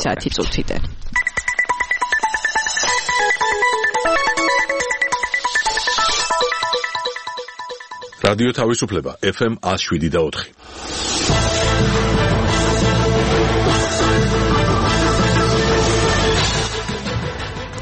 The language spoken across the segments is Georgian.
10 წუთიდან. რადიო თავისუფლება FM 107.4.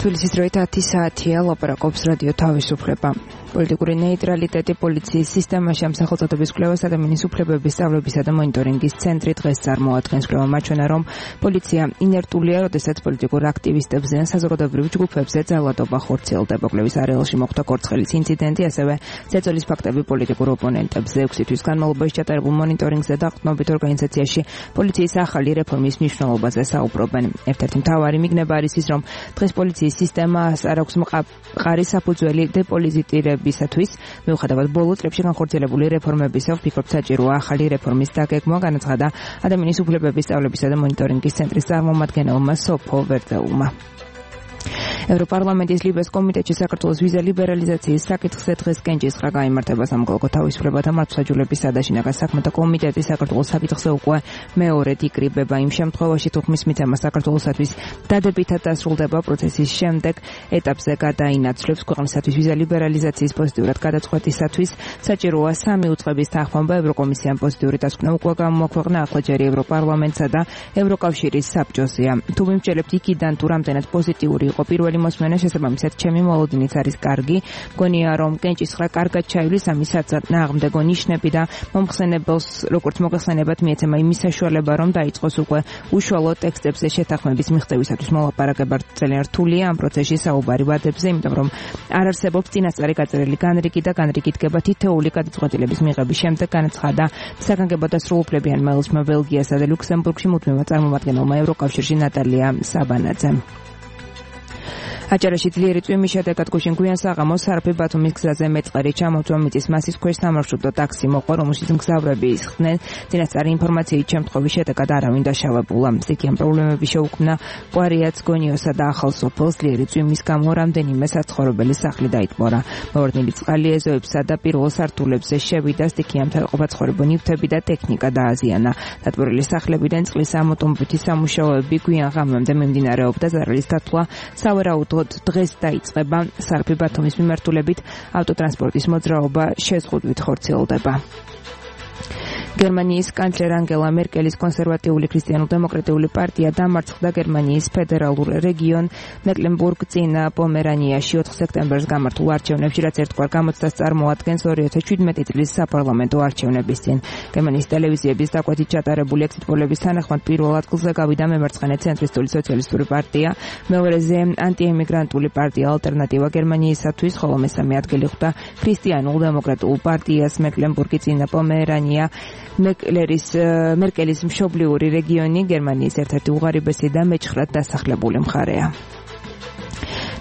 თბილისის დროით 10 საათია, ლაპარაკობს რადიო თავისუფლება. პოლიტიკური ნეიტრალიტეტი პოლიციის სისტემაში ამ სახელწოდების კვლევას ადამიანის უფლებების სწავლებისა და მონიტორინგის ცენტრი დღეს წარმოადგენს. კვლევა მაჩვენა, რომ პოლიცია ინერტულია, როდესაც პოლიტიკურ აქტივისტებზე ან საზოგადოებრივ ჯგუფებზე ძალადობა ხორციელდება. კვლევის არეალში მოხდა კორცხელის ინციდენტი, ასევე ზეწოლის ფაქტები პოლიტიკურ ოპონენტებზე. 6 თვის განმავლობაში ჩატარებულ მონიტორინგზე და ყრდნობით ორგანიზაციაში პოლიციის ახალი რეფორმის მნიშვნელობაზე საუბრობენ. ერთ-ერთი მთავარი მიგნება არის ის, რომ დღეს პოლიციის სისტემას არ აქვს მყარი საფუძველი დეპოლიტიზირებისათვის. მიუხედავად ბოლო წლებში განხორციელებული რეფორმებისა, ვფიქრობ, საჭიროა ახალი რეფორმის დაგეგმვა, განაცხადა ადამიანის უფლებების სწავლებისა და მონიტორინგის ცენტრის წარმომადგენელმა სოფო ვერძეულმა. ევროპარლამენტის ლიბეს კომიტეტში საქართველოს ვიზა ლიბერალიზაციის საკითხზე დღეს კენჭისყრა გაიმართება. სამოქალაქო თავისუფლება და მართლმსაჯულების სადაშინაკა საქმეთა კომიტეტი საქართველოს საკითხზე უკვე მეორედ იკრიბება. იმ შემთხვევაში, თუ ხმის მიცემა საქართველოსათვის დადებითად დასრულდება, პროცესის შემდეგ ეტაპზე გადაინაცვლებს. ქვეყნისათვის ვიზა ლიბერალიზაციის პოზიტიურად გადაწყვეტისათვის საჭიროა 3 უწყების თანხმობა. ევროკომისიამ პოზიტიური დასკვნა უკვე გამოაქვეყნა, ახლა ჯერი ევროპარლამენტსა და ევროკავშირის საბჭოზეა. თუ მიმსჯელებთ იქიდან, თუ რამდენად პოზიტიური იყო პირველი მოსმენა, შესაბამისად ჩემი მოლოდინიც არის კარგი. მგონია, რომ კენჭისყრა კარგად ჩაივლის, ამისაც ნაღმდეგო ნიშნები და მომხსენებელს როგორც მოგეხსენებათ მიეცემა იმის საშუალება, რომ დაიწყოს უკვე უშუალო ტექსტებზე შეთანხმების მიღწევისათვის მოლაპარაკება. ძალიან რთულია ამ პროცესში საუბარი ვადებზე, იმიტომ რომ არ არსებობს წინასწარი გაწერილი განრიგი და განრიგი დგება თითოეული გადაწყვეტილების მიღების შემდეგ, განაცხადა საგანგებო და სრულუფლებიან მელისმა ბელგიასა და ლუქსემბურგში მუდმივად წარმომადგენელმა ევროკავშირში ნატალია საბანაძემ. აჭარაში ძლიერი წვიმის შედეგად გუშინ გვიან საღამოს სარფი ბათუმის გზაზე მეწყერი ჩამოწვა. მიწის მასის ქვეშ სამარშრუტო ტაქსი მოყვა, რომელშიც მგზავრები ისხდნენ. წინასწარი ინფორმაციით შემთხვევის შედეგად არავინ დაშავებულა. სტიქიან პრობლემები შეუქმნა კვარიაც, გონიოსა და ახალ სოფელს. ძლიერი წვიმის გამო რამდენიმე საცხოვრებელი სახლი დაიტბორა. მოვარდნილი წყალი ეზოებსა და პირველ სართულებზე შევიდა. სტიქიამთა ყოფაცხოვრებო ნივთები და ტექნიკა დააზიანა. დატბორილი სახლებიდან წყლის ამოტომებითი სამუშაოები გვიან ღამემდე მიმდინარეობდა. ზარალის დათვლა სავარაუდოდ დღეს დაიწყება. სარფი ბათუმის მიმართულებით ავტოტრანსპორტის მოძრაობა შეზღუდვით ხორციელდება. გერმანიის კანცლერ ანგელა მერკელის კონსერვატიული ქრისტიანულ-დემოკრატიული პარტია დამარცხდა გერმანიის ფედერალურ რეგიონ მეკლენბურგ-წინა პომერანიაში 4 სექტემბერს გამართულ არჩევნებში, რაც ერთგვარ გამოცდას წარმოადგენს 2017 წლის საპარლამენტო არჩევნების წინ. გერმანიის ტელევიზიების დაკვეთით ჩატარებული ექსიტ პოლების თანახმად პირველ ადგილზე გავიდა მემარცხენე ცენტრისტული სოციალისტური პარტია, მეორეზე ანტიემიგრანტული პარტია ალტერნატივა გერმანიისათვის, ხოლო მესამე ადგილი ხვდა ქრისტიანულ-დემოკრატიულ პარტიას. მეკლენბურგი-წინა პომერანია მერკელის მშობლიური რეგიონი, გერმანიის ერთ-ერთი უღარიბესი და მეჩხრად დასახლებული მხარეა.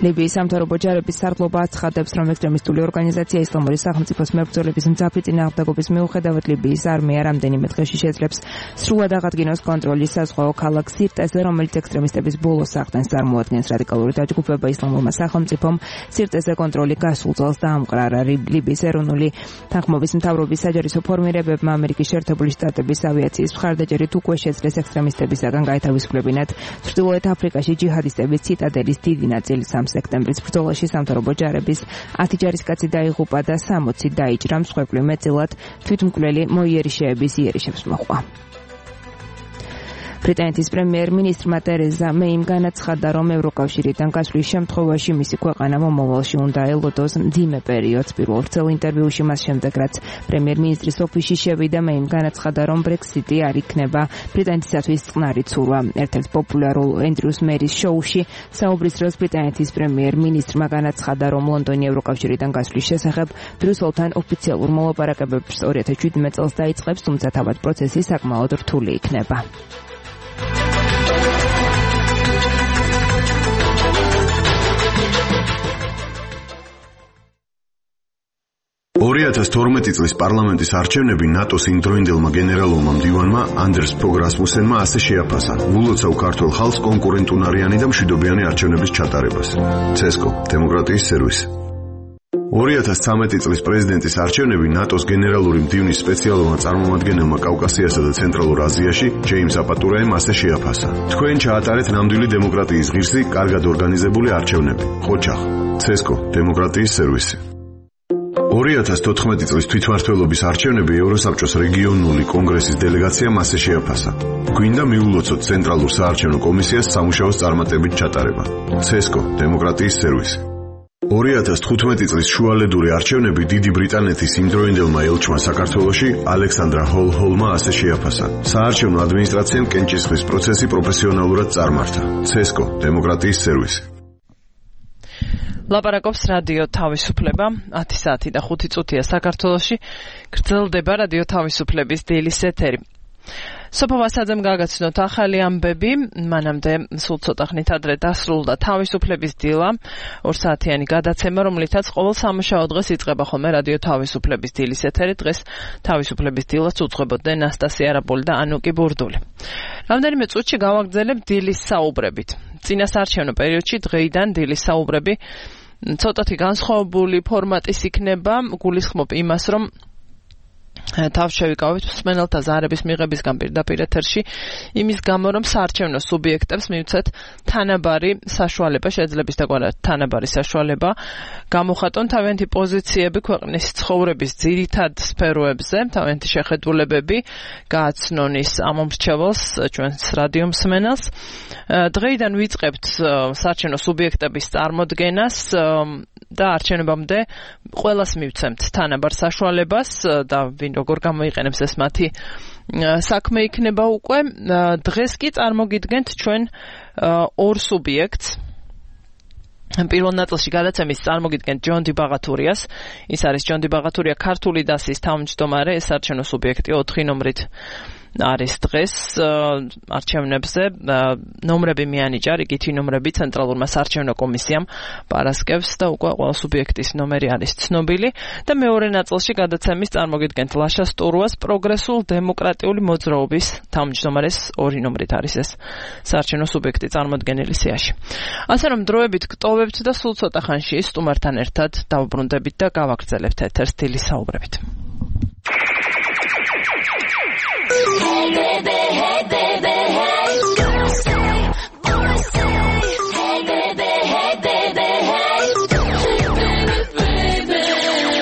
ლიბიის სამთავრობო ჯარების სარდლობა აცხადებს, რომ ექსტრემისტული ორგანიზაცია ისლამური სახელმწიფოს მებრძოლების მძაფრი წინააღმდეგობის მიუხედავად ლიბიის არმია რამდენიმე დღეში შეძლებს სრულად აღადგინოს კონტროლის საზღვაო ქალაქ სირტეზე, რომელიც ექსტრემისტების ბოლოს აღდენს წარმოადგენს. რადიკალური დაჯგუფება ისლამურმა სახელმწიფომ სირტეზე კონტროლი გასულ წელს დაამყრარა. ლიბიის ეროვნული თანხმობის მთავრობის საჯარისო ფორმირებებმა ამერიკის შეერთებული შტატების ავიაციის მხარდაჭერით უკვე შეძლეს ექსტრემისტებისაგან გაეთავისუფლებინათ ჩრდილოეთ აფრიკაში ჯიჰადისტების ციტადელის დიდი ნაწილი. სექტემბრის ბრძოლაში სამთავრობო ჯარების 10 ჯარისკაცი დაიღუპა და 60 დაიჭრა. მსხვერპლი მეტწილად თვითმკვლელი მოიერიშეების იერიშებს მოჰყვა. ბრიტანეთის პრემიერ-მინისტრმა ტერეზა მეიმ განაცხადა, რომ ევროკავშირიდან გასვლის შემთხვევაში მისი ქვეყანა მომავალში უნდა ელოდოს მძიმე პერიოდს. პირველ ვრცელ ინტერვიუში მას შემდეგ, რაც პრემიერ-მინისტრის ოფისში შევიდა, მეიმ განაცხადა, რომ ბრექსიტი არ იქნება ბრიტანეთისათვის წყნარი ცურვა. ერთ-ერთ პოპულარულ ენდრიუს მერის შოუში საუბრის დროს ბრიტანეთის პრემიერ-მინისტრმა განაცხადა, რომ ლონდონი ევროკავშირიდან გასვლის შესახებ ბრიუსელთან ოფიციალურ მოლაპარაკებებს 2017 წელს დაიწყებს, თუმცა თავად პროცესი საკმაოდ რთული იქნება. 2012 წლის პარლამენტის არჩევნები ნატოს იმდროინდელმა გენერალურმა მდივანმა ანდერს ფოგ რასმუსენმა ასე შეაფასა: "ვულოცავ ქართულ ხალხს კონკურენტუნარიანი და მშვიდობიანი არჩევნების ჩატარებას." ცესკო, დემოკრატიის სერვისი. 2013 წლის პრეზიდენტის არჩევნები ნატოს გენერალური მდივნის სპეციალურმა წარმომადგენელმა კავკასიასა და ცენტრალურ აზიაში ჯეიმს აპატურაემ ასე შეაფასა. თქვენ ჩაატარეთ ნამდვილი დემოკრატიის ღირსი, კარგად ორგანიზებული არჩევნები. ხოჩახ, ცესკო, დემოკრატიის სერვისი. 2014 წლის თვითმმართველობის არჩევნები ევროსაბჭოს რეგიონული კონგრესის დელეგაციამ ასე შეაფასა. გვინდა მიულოცოთ ცენტრალურ საარჩევნო კომისიას სამუშაოს წარმატებით ჩატარება. ცესკო, დემოკრატიის სერვისი. 2015 წლის შუალედური არჩევნები დიდი ბრიტანეთის იმდროინდელმა ელჩმა საქართველოში ალექსანდრა ჰოლჰოლმა ასე შეაფასა. საარჩევნო ადმინისტრაციამ კენჭისყრის პროცესი პროფესიონალურად წარმართა. ცესკო, დემოკრატიის სერვისი. ლაპარაკობს რადიო თავისუფლება 10 საათი და 5 წუთია საქართველოში. გრძელდება რადიო თავისუფლების დილის ეთერი. სოფო ვასაძემ გაგაცნოთ ახალი ამბები, მანამდე სულ ცოტა ხნით ადრე დასრულდა თავისუფლების დილა, 2 საათიანი გადაცემა, რომლითაც ყოველ სამუშაო დღეს იწყება ხოლმე რადიო თავისუფლების დილის ეთერი. დღეს თავისუფლების დილას უძღვებოდნენ ნასტასია არაბული და ანუკი ბურდული. რამდენიმე წუთში გავაგრძელებ დილის საუბრებით. წინასაარჩევნო პერიოდში დღეიდან დილის საუბრები ცოტათი განსხვავებული ფორმატის იქნება, გულისხმობ იმას, რომ თავს შევიკავებთ მსმენელთა ზარების მიღებისგან პირდაპირ ეთერში, იმის გამო, რომ საარჩევნო სუბიექტებს მივცეთ თანაბარი საშუალება, შეძლებს დაგვარად თანაბარი საშუალება გამოხატონ თავიანთი პოზიციები ქვეყნის ცხოვრების ძირითად სფეროებზე, თავიანთი შეხედულებები გააცნონ ის ამომრჩეველს, ჩვენს რადიო მსმენელს. დღეიდან ვიწყებთ საარჩევნო სუბიექტების წარმოდგენას და არჩევნებამდე ყველას მივცემთ თანაბარ საშუალებას და ვინ როგორ გამოიყენებს ეს მათი საქმე იქნება უკვე. დღეს კი წარმოგიდგენთ ჩვენ ორ სუბიექტს. პირველ ნაწილში გადაცემის წარმოგიდგენთ ჯონდი ბაღათურიას. ის არის ჯონდი ბაღათურია, ქართული დასის თავმჯდომარე, ეს არჩევნო სუბიექტი 4 ნომრით არის დღეს არჩევნებზე. ნომრები მიანიჭა, რიგითი ნომრები ცენტრალურმა საარჩევნო კომისიამ პარასკევს და უკვე ყველა სუბიექტის ნომერი არის ცნობილი. და მეორე ნაწილში გადაცემის წარმოგიდგენთ ლაშა სტურუას, პროგრესულ დემოკრატიული მოძრაობის თავმჯდომარეს 2 ნომრით არის ეს საარჩევნო სუბიექტი წარმოდგენილი სიაში. ასე რომ დროებით გტოვებთ და სულ ცოტა ხანში სტუმართან ერთად დავბრუნდებით და გავაგრძელებთ ეთერს დილის საუბრებით. Hey baby, hey. Girls say, boys say, hey baby, hey.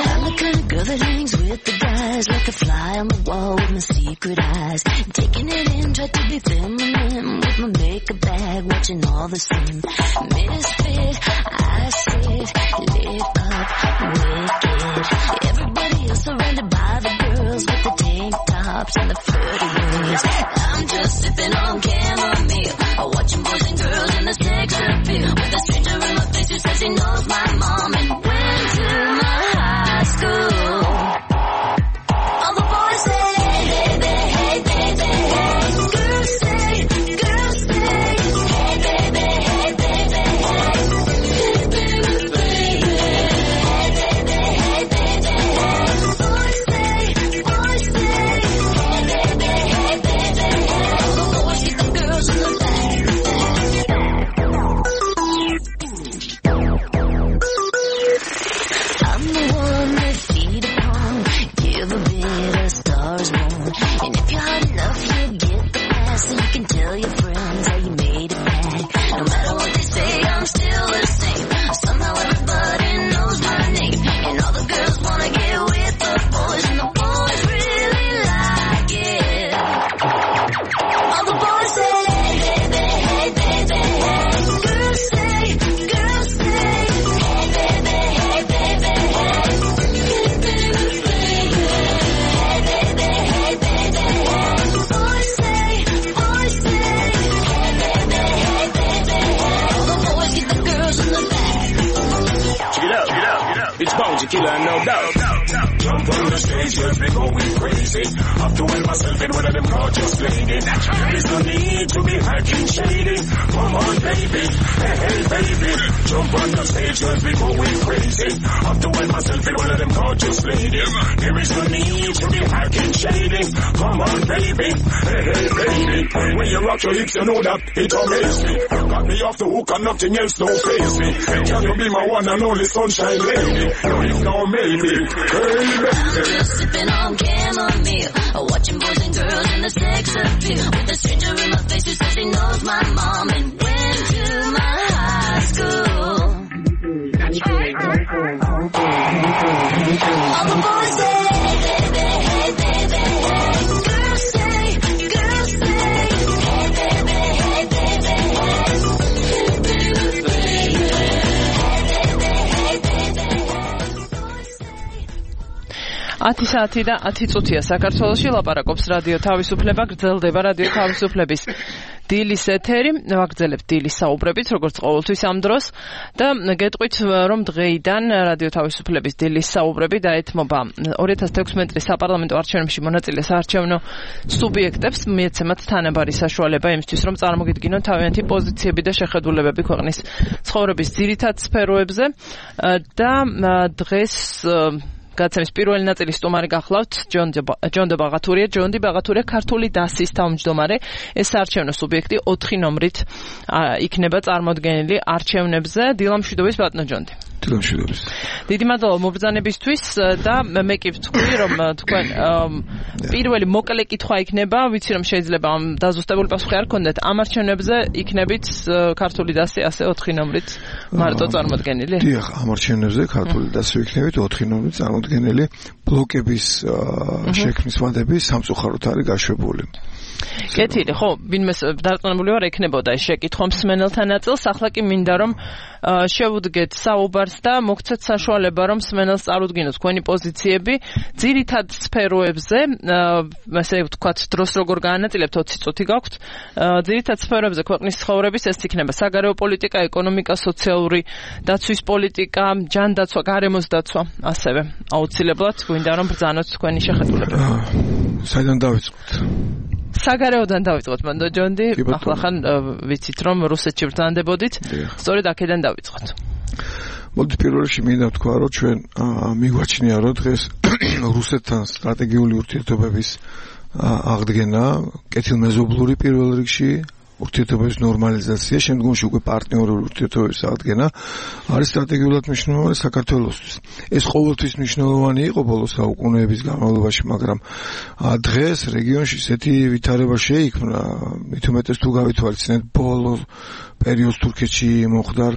I'm the kind of girl that hangs with the guys, like a fly on the wall with my secret eyes. Taking it in, try to be feminine with my makeup bag, watching all the same. Misfit, I sit, lit up, wicked. Everybody else surrounded by the girls with the tank tops and the flirty ways. I'm just sipping on chamomile, watching boys and girls in the sex appeal. With a stranger in my face who says he knows my mom and went to my high school. All the boys say, hey baby, hey. Girls say, hey baby, hey. killer, no doubt. Jump on the stage, let me go crazy. Up to myself in one of them gorgeous ladies. There is no need to be acting shady. Come on, baby. Hey, baby. Jump on the stage, girls, we going crazy. Have to wear myself in one of them gorgeous ladies. There is no need to be acting shady. Come on, baby. Hey, baby. When you rock your hips, you know that it amazes me. Got me off the hook and nothing else don't face me. Can you be my one and only sunshine lady? No, if no, maybe. Hey, baby. Just sipping on chamomile, watching boys and girls in the sex appeal. With a stranger in my face who says he knows my mom and went to my high school. All the boys say, hey baby, hey baby, hey. Girls say, hey baby, hey baby, ათი საათი და 10 წუთია საქართველოში ლაპარაკობს რადიო თავისუფლება, გრძელდება რადიო თავისუფლების დილის ეთერი, ვაგრძელებთ დილის საუბრებით, როგორც ყოველთვის ამ დროს და გეტყვით, რომ დღეიდან რადიო თავისუფლების დილის საუბრები დაეთმობა 2016 წლის საპარლამენტო არჩევნებში მონაწილე საარჩევნო სუბიექტებს, მიეცემათ თანაბარი საშუალება იმისთვის, რომ წარმოგიდგინონ თავიანთი პოზიციები და შეხედულებები ქვეყნის ცხოვრების ძირითად სფეროებზე და დღეს გაცემის პირველი ნაწილის სტუმარი გახლავთ ჯონდი ბაღათურია. ჯონდი ბაღათურია ქართული დასის თავმჯდომარე. ეს საარჩევნო სუბიექტი 4 ნომრით იქნება წარმოდგენილი არჩევნებზე. დილამშვიდობის ბატონო ჯონდი. დილამშვიდობის. დიდი მადლობა მობრძანებისთვის და მე კი ვთქვი, რომ თქვენ პირველი მოკლე კითხვა იქნება, ვიცი რომ შეიძლება ამ დაზუსტებული პასუხი არ გქონდეთ. ამ არჩევნებზე იქნებით ქართული დასი ასე 4 ნომრით მარტო წარმოდგენილი? დიახ, ამ არჩევნებზე ქართული დასი იქნებით 4 ნომრით წარმოდგენილი. ბლოკების შექმნის ვადები სამწუხაროდ არის გაშვებული. კეთილი, ხო, ვინმე დარწმუნებული ვარ, ექნებოდა ეს შეკითხვა მსმენელთა ნაწილს, ახლა კი მინდა რომ შევუდგეთ საუბარს და მოგცეთ საშუალება, რომ მსმენელს წარუდგინოთ თქვენი პოზიციები ძირითად სფეროებზე, ასე ვთქვათ, დროს როგორ გაანაწილებთ 20 წუთი გაქვთ. ძირითად სფეროებზე ქვეყნის ცხოვრების ეს იქნება საგარეო პოლიტიკა, ეკონომიკა, სოციალური დაცვის პოლიტიკა, ჯანდაცვა, გარემოს დაცვა, ასევე აუცილებლად გვინდა რომ ბრძანოთ თქვენი შეხედულება. საიდან დავიწყოთ? საგარეოდან დავიწყოთ, მანდო ჯონდი, ახლა ხან ვიცით რომ რუსეთში ბრძანდებოდით, სწორედ აქედან დავიწყოთ. მოდით პირველ რიგში მინდა ვთქვა, რომ ჩვენ მიგვაჩნია რომ დღეს რუსეთთან სტრატეგიული ურთიერთობების აღდგენა, კეთილმეზობლური პირველ რიგში ურთიერთობების ნორმალიზაცია, შემდგომში უკვე პარტნიორული ურთიერთობების აღდგენა არის სტრატეგიულად მნიშვნელოვანი საქართველოსთვის. ეს ყოველთვის მნიშვნელოვანი იყო ბოლო საუკუნეების განმავლობაში, მაგრამ დღეს რეგიონში ესეთი ვითარება შეიქმნა, მით უმეტეს თუ გავითვალისწინებთ ბოლო პერიოდს თურქეთში მომხდარ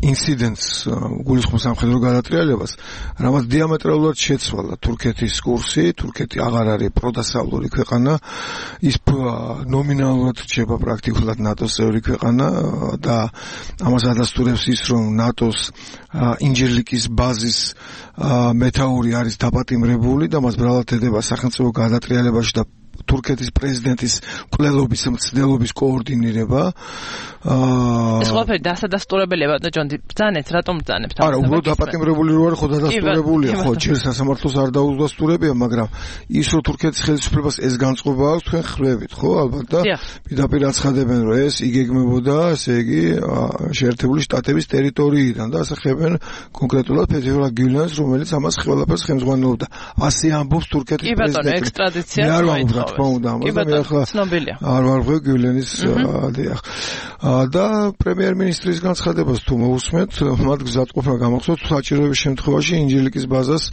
ინციდენტს, გულისხმობს სამხედრო გადატრიალებას, რამაც დიამეტრალურად შეცვალა თურქეთის კურსი. თურქეთი აღარ არის პროდასავლური ქვეყანა, ის ნომინალურად რჩება პრაქტიკულად ნატოს წევრი ქვეყანა და ამას ადასტურებს ის, რომ ნატოს ინჯერლიკის ბაზის მეთაური არის დაპატიმრებული და მას ბრალად ედება სახელმწიფო გადატრიალებაში და თურქეთის პრეზიდენტის მკვლელობის მცდელობის კოორდინირება. ეს ყველაფერი დასადასტურებელია, ბატონო ჯონდი, ბრძანეთ, რატომ ბრძანებთ? არა, უბრალოდ დაპატიმრებული რო არის, ხო დადასტურებულია, ხო, ჯერ სასამართლოს არ დაუდასტურებია, მაგრამ ის რომ თურქეთის ხელისუფლებას ეს განწყობა აქვს, თქვენ ხვდებით, ხო, ალბათ და პირდაპირ აცხადებენ, რომ ეს იგეგმებოდა, ესე იგი, შეერთებული შტატების ტერიტორიიდან და ასახებენ კონკრეტულად ფედერალ გიულენს, რომელიც ამას ყველაფერს ხელმძღვანელობდა. ასე ამბობს თურქეთის პრეზიდენტი. კი ბატონო, ექსტრადიცია მოითხოვეს. თქმა უნდა, ამაზე მე ახლა არ ვარღვევ გიულენის დიახ. და პრემიერ-მინისტრის განცხადებას თუ მოусმენთ, მათ გზადყოფნა გამახსოვს საჭიროების შემთხვევაში ინჯილიკის ბაზას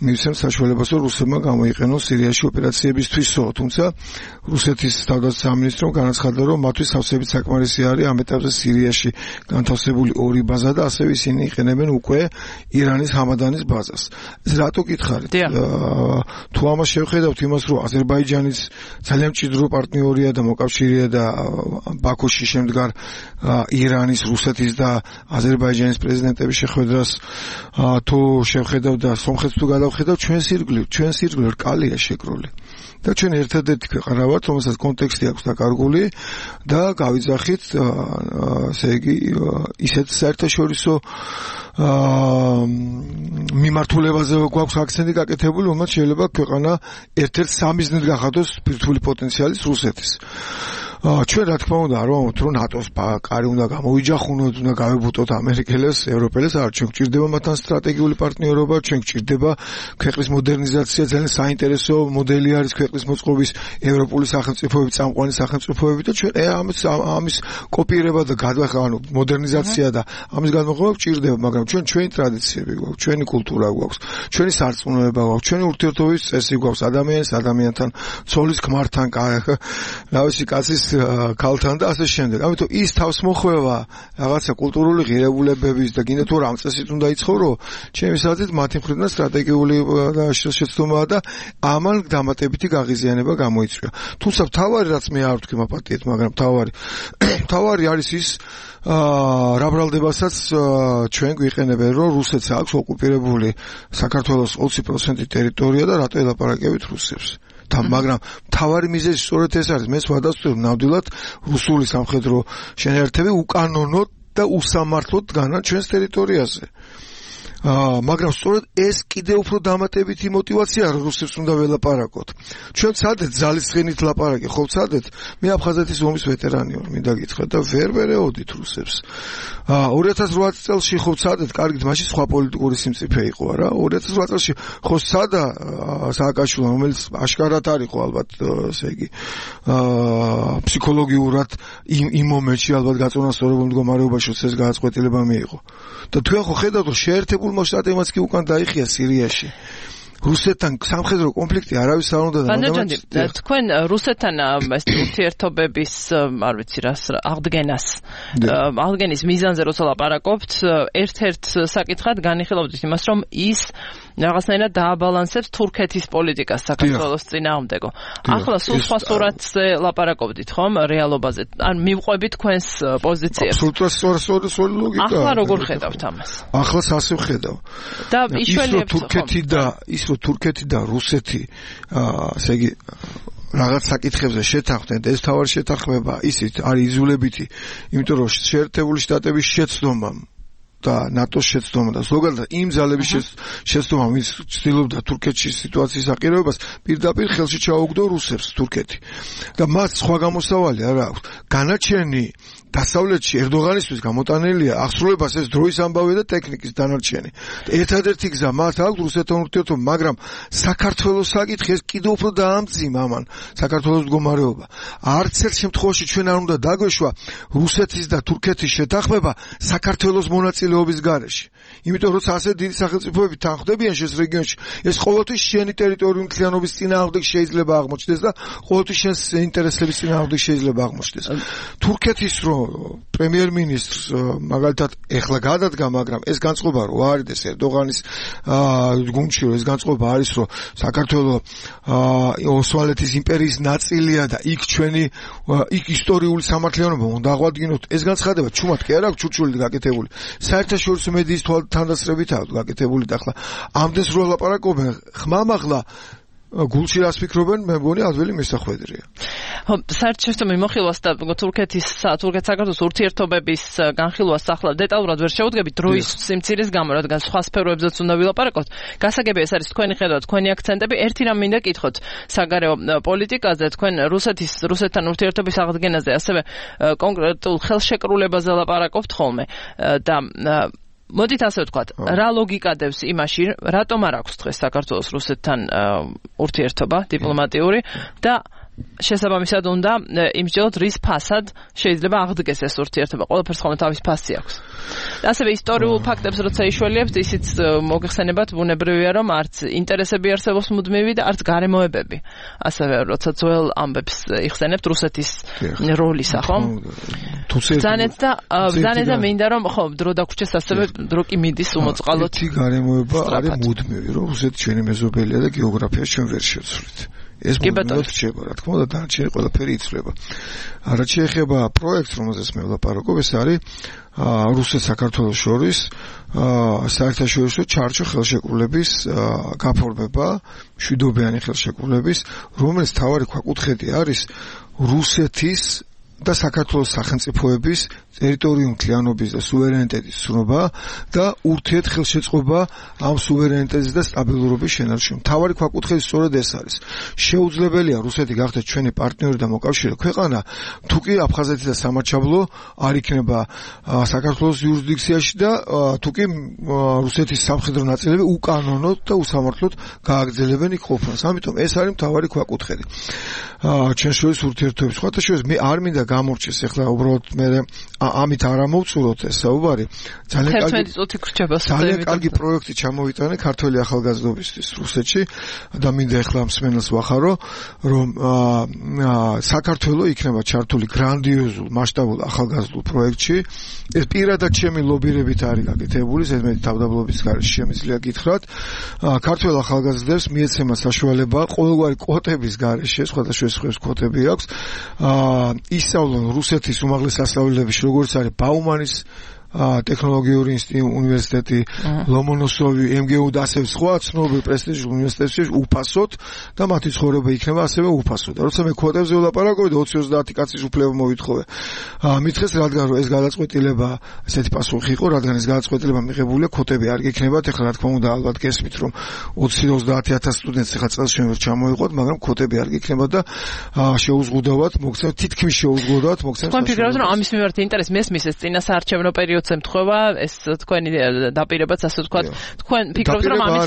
მივცემს საშუალებას, რომ რუსებმა გამოიყენონ სირიაში ოპერაციებისთვისო, თუმცა რუსეთის თავდაცვის სამინისტრომ განაცხადა, რომ მათთვის სავსებით საკმარისი არის ამ ეტაპზე სირიაში განთავსებული 2 ბაზა და ასევე ისინი იყენებენ უკვე ირანის ჰამადანის ბაზას. ეს რატო გითხარით? თუ ამას შევხედავთ იმას, რომ აზერბაიჯანის ძალიან მჭიდრო პარტნიორია და მოკავშირეა და ბაქოში შემდგარ ირანის, რუსეთის და აზერბაიჯანის პრეზიდენტების შეხვედრას თუ შევხედავ და სომხეთს თუ გადავხედავ, ჩვენ სირგლივ რკალია შეკრული. და ჩვენ ერთადერთი ქვეყანა ვართ, რომელსაც კონტექსტი აქვს დაკარგული და გავიძახით, ესე იგი, ისეთ საერთაშორისო მიმართულებაზე გვაქვს აქცენტი გაკეთებული, რომელიც შეიძლება ქვეყანა ერთ-ერთ სამიზნედ გახადოს ბირთვული პოტენციალის რუსეთის. ჩვენ რა თქმა უნდა არ ვამბობთ რომ ნატოს კარი უნდა გამოვიჯახუნოთ, უნდა გავებუტოთ ამერიკელებს, ევროპელებს, არ ჩვენ გვჭირდება მათთან სტრატეგიული პარტნიორობა, ჩვენ გვჭირდება ქვეყნის მოდერნიზაცია, ძალიან საინტერესო მოდელი არის ქვეყნის მოწყობის ევროპული სახელმწიფოები, წამყვანი სახელმწიფოები და ჩვენ ამის კოპირება და ანუ მოდერნიზაცია და ამის გადმოღება გვჭირდება, მაგრამ ჩვენი ტრადიციები გვაქვს, ჩვენი კულტურა გვაქვს, ჩვენი სარწმუნოება გვაქვს, ჩვენი ურთიერთობის წესი გვაქვს ადამიანთან, ცოლის ქმართან, რავისი კაცის ქალთან და ასე შემდეგ. ამიტომ ის თავს მოხვევა რაღაცა კულტურული ღირებულებების და კიდევ თუ რამ წესით უნდა იცხოვრო, ჩემი საზრით მათი მხრიდან სტრატეგიული შეცდომაა და ამან დამატებითი გაღიზიანება გამოიწვია. თუმცა თავარი რაც მე არ ვთქვი მაპატიეთ, მაგრამ თავარი არის ის რა ბრალდებასაც ჩვენ გვიყენებენ, რომ რუსეთს აქვს ოკუპირებული საქართველოს 20% ტერიტორია და რატო ელაპარაკებით რუსებს. მაგრამ თავარი მიზეზი სწორედ ეს არის, მე ვადასტურებ ნამდვილად რუსული სამხედრო შენაერთები უკანონოდ და უსამართლოდ დგანან ჩვენს ტერიტორიაზე. მაგრამ სწორედ ეს კიდევ უფრო დამატებითი мотиваციაა რუსებს უნდა ველაპარაკოთ. ჩვენ ცადეთ ძალისხენით ლაპარაკი, ხო ცადეთ? მე აფხაზეთის ომის ვეტერანი ვარ, მინდა გითხრათ და ვერ ვერეოდით რუსებს. 2008 წელს ხო ცადეთ, კარგით, მაშინ სხვა პოლიტიკური სიმწიფე იყო რა. 2008 წელს ხო სადა სააკაშვილმა, რომელიც აშკარად არის ხო ალბათ, ესე იგი, ფსიქოლოგიურად იმ მომენტში ალბათ გაწონასწორებულ მდგომარეობაში ეს გადაწყვეტილება მიიღო. და თქვენ ხო ხედავთ, რომ შეერთებულმა შტატებმაც კი უკან დაიხია სირიაში. რუსეთთან სამხედრო კონფლიქტი არავის არ უნდა და თქვენ რუსეთთან ეს ურთიერთობების არ ვიცი რას აღდგენის მიზანზე როცა ლაპარაკობთ, ერთ-ერთ საკითხად განიხილავთ იმას, რომ ის რაღაცნაირად დააბალანსებს თურქეთის პოლიტიკას საქართველოს წინააღმდეგო. ახლა სულ სხვა სურათზე ლაპარაკობდით, ხომ, რეალობაზე? ან მივყვებით თქვენს პოზიციებს? აბსოლუტურად სწორი ლოგიკა. ახლა როგორ ხედავთ ამას? ახლა ასე ვხედავ. და იშველიებთ თურქეთი და რუსეთი, ასე იგი რაღაც საკითხებზე შეთანხმდნენ და ეს თავარი შეთანხმება ისიც არის იზოლებითი, იმიტომ რომ შეერთებული შტატების შეცდომა და ნატოს შეცდომა და ზოგადად იმ ძალების შეცდომა, ვინც ცდილობდა თურქეთში სიტუაციის აყირებას, პირდაპირ ხელში ჩაუგდო რუსებს თურქეთი. და მას სხვა გამოსავალი არ აქვს. განაჩენი დასავლეთში ერდოღანისთვის გამოტანილია აღსრულებას ეს დროის ამბავი და ტექნიკის დანარჩენი. ერთადერთი გზა მათ აქვს რუსეთთან ურთიერთობა, მაგრამ საქართველოს საკითხი ეს კიდევ უფრო დაამძიმა ამან საქართველოს მდგომარეობა. არც ერთ შემთხვევაში ჩვენ არ უნდა დაგვეშვა რუსეთის და თურქეთის შეთანხმება საქართველოს მონაწილეობის გარეშე. იმიტომ რომ ასე დიდი სახელმწიფოები თანხმდებიან შეს რეგიონში, ეს ყოველთვის შენი ტერიტორიული მთლიანობის წინააღმდეგ შეიძლება აღმოჩნდეს და ყოველთვის შენს ინტერესების წინააღმდეგ შეიძლება აღმოჩნდეს. თურქეთის პრემიერ-მინისტრს მაგალითად ეხლა გადადგა, მაგრამ ეს განწყობა რო არის ერდოღანის გუნდში, ეს განწყობა არის, რომ საქართველოს ოსმალეთის იმპერიის ნაწილია და იქ ჩვენი იქ ისტორიული სამართლიანობა უნდა აღვადგინოთ. ეს განცხადება ჩუმად კი არ აქვს ჩურჩული გაკეთებული. საერთაშორისო მედიის თვალსაზრისით აქვს გაკეთებული და ახლა ამდენს რო ლაპარაკობენ, ხმამაღლა გულში რას ფიქრობენ, მე მგონი ადვილი მისახვედრია. ხო, საერთაშორისო მიმოხილვას და თურქეთ-საქართველოს ურთიერთობების განხილვას ახლა დეტალურად ვერ შევუდგებით დროის სიმცირის გამო, რადგან სხვა სფეროებზეც უნდა ვილაპარაკოთ. გასაგებია ეს არის თქვენი ხედვა, თქვენი აქცენტები. ერთი რამ მინდა კითხოთ საგარეო პოლიტიკაზე, თქვენ რუსეთთან ურთიერთობის აღდგენაზე, ასევე კონკრეტულ ხელშეკრულებაზე ლაპარაკობთ ხოლმე და მოდით ასე ვთქვათ, რა ლოგიკა დევს იმაში, რატომ არ აქვს დღეს საქართველოს რუსეთთან ურთიერთობა დიპლომატიური და შესაბამისად უნდა იმსჯელოთ, რის ფასად შეიძლება აღდგეს ეს ურთიერთობა. ყველაფერს ხოლმე თავის ფასი აქვს. ასევე ისტორიულ ფაქტებს როცა იშველიებთ, ისიც მოგეხსენებათ, ბუნებრივია, რომ არც ინტერესები არსებობს მუდმივი და არც გარემოებები. ასევე როცა ძველ ამბებს იხსენებთ რუსეთის როლისა, ხო? ბრძანეთ და მინდა რომ ხო დრო დაგვრჩეს, ასევე დრო კი მიდის უმოწყალოდ. ერთი გარემოება არის მუდმივი, რომ რუსეთი ჩვენი მეზობელია და გეოგრაფიას ჩვენ ვერ შევცვლით. ეს მუდმივად რჩება, რა თქმა უნდა, დანარჩენი ყველაფერი იცვლება. რაც შეეხება პროექტს, რომელზეც მე ვლაპარაკობ, ეს არის რუსეთ-საქართველოს შორის საერთაშორისო ჩარჩო ხელშეკრულების გაფორმება, მშვიდობიანი ხელშეკრულების, რომელიც თავარი ქვაკუთხედი არის რუსეთის და საქართველოს სახელმწიფოების ტერიტორიული მთლიანობის და სუვერენიტეტის ცნობა და ურთიერთ ხელშეწყობა ამ სუვერენიტეტის და სტაბილურობის შენარჩუნებაში. მთავარი ქვაკუთხედი სწორედ ეს არის. შეუძლებელია რუსეთი გახდეს ჩვენი პარტნიორი და მოკავშირე ქვეყანა, თუკი აფხაზეთი და სამარჩაბლო არ იქნება საქართველოს იურისდიქციაში და თუკი რუსეთის სამხედრო ნაწილები უკანონოდ და უსამართლოდ გააგრძელებენ იქ ყოფნას. ამიტომ ეს არის მთავარი ქვაკუთხედი. ჩვენ შორის ურთიერთობების. სხვათა შორის მე არ მინდა გამორჩეს ახლა უბრალოდ მე ამით არ ამოვწუროთ ეს საუბარი. ძალიან კარგი პროექტი ჩამოვიტანე ქართველი ახალგაზრდობისთვის რუსეთში და მინდა ახლა მსმენელს ვახარო, რომ საქართველოს იქნება ჩართული გრანდიოზულ მასშტაბურ ახალგაზრდულ პროექტში. ეს პირადად ჩემი ლობირებით არის გაკეთებული, ზედმეტი თავდაბლობის გარეშე შემიძლია გითხრათ. ქართველ ახალგაზრდებს მიეცემა საშუალება ყოველგვარი კვოტების გარეშე, სხვადასხვა კვოტები აქვს, ისწავლონ რუსეთის უმაღლეს სასწავლებელში, როგორც არის ბაუმანის ტექნოლოგიური უნივერსიტეტი, ლომონოსოვი, MGU და ასევე სხვა ცნობილ პრესტიჟულ უნივერსიტეტებში უფასოდ და მათი ცხოვრება იქნება ასევე უფასოდ. როცა მე კვოტებზე ვლაპარაკობ და 20-30 კაცის უფლება მოვითხოვე. მითხეს რადგან რომ ეს გადაწყვეტილება, ესეთი პასუხი იყო, რადგან ეს გადაწყვეტილება მიღებულია, კვოტები არ გექნებათ. ეხლა რა თქმა უნდა ალბათ გესმით რომ 20-30,000 სტუდენტს ეხლა წელს შემდგომ ჩამოიყვოთ, მაგრამ კვოტები არ გექნებათ და შეუზღუდავად მოგცემთ, თითქმის შეუზღუდავად მოგცემთ. თქვენ ფიქრობთ რომ ამის მიმართ ინტერესი მესმის ეს წინასაარჩევნო პერიოდს ემთხვევა, ეს თქვენი დაპირებაც ასე ვთქვათ. თქვენ ფიქრობთ რომ ამის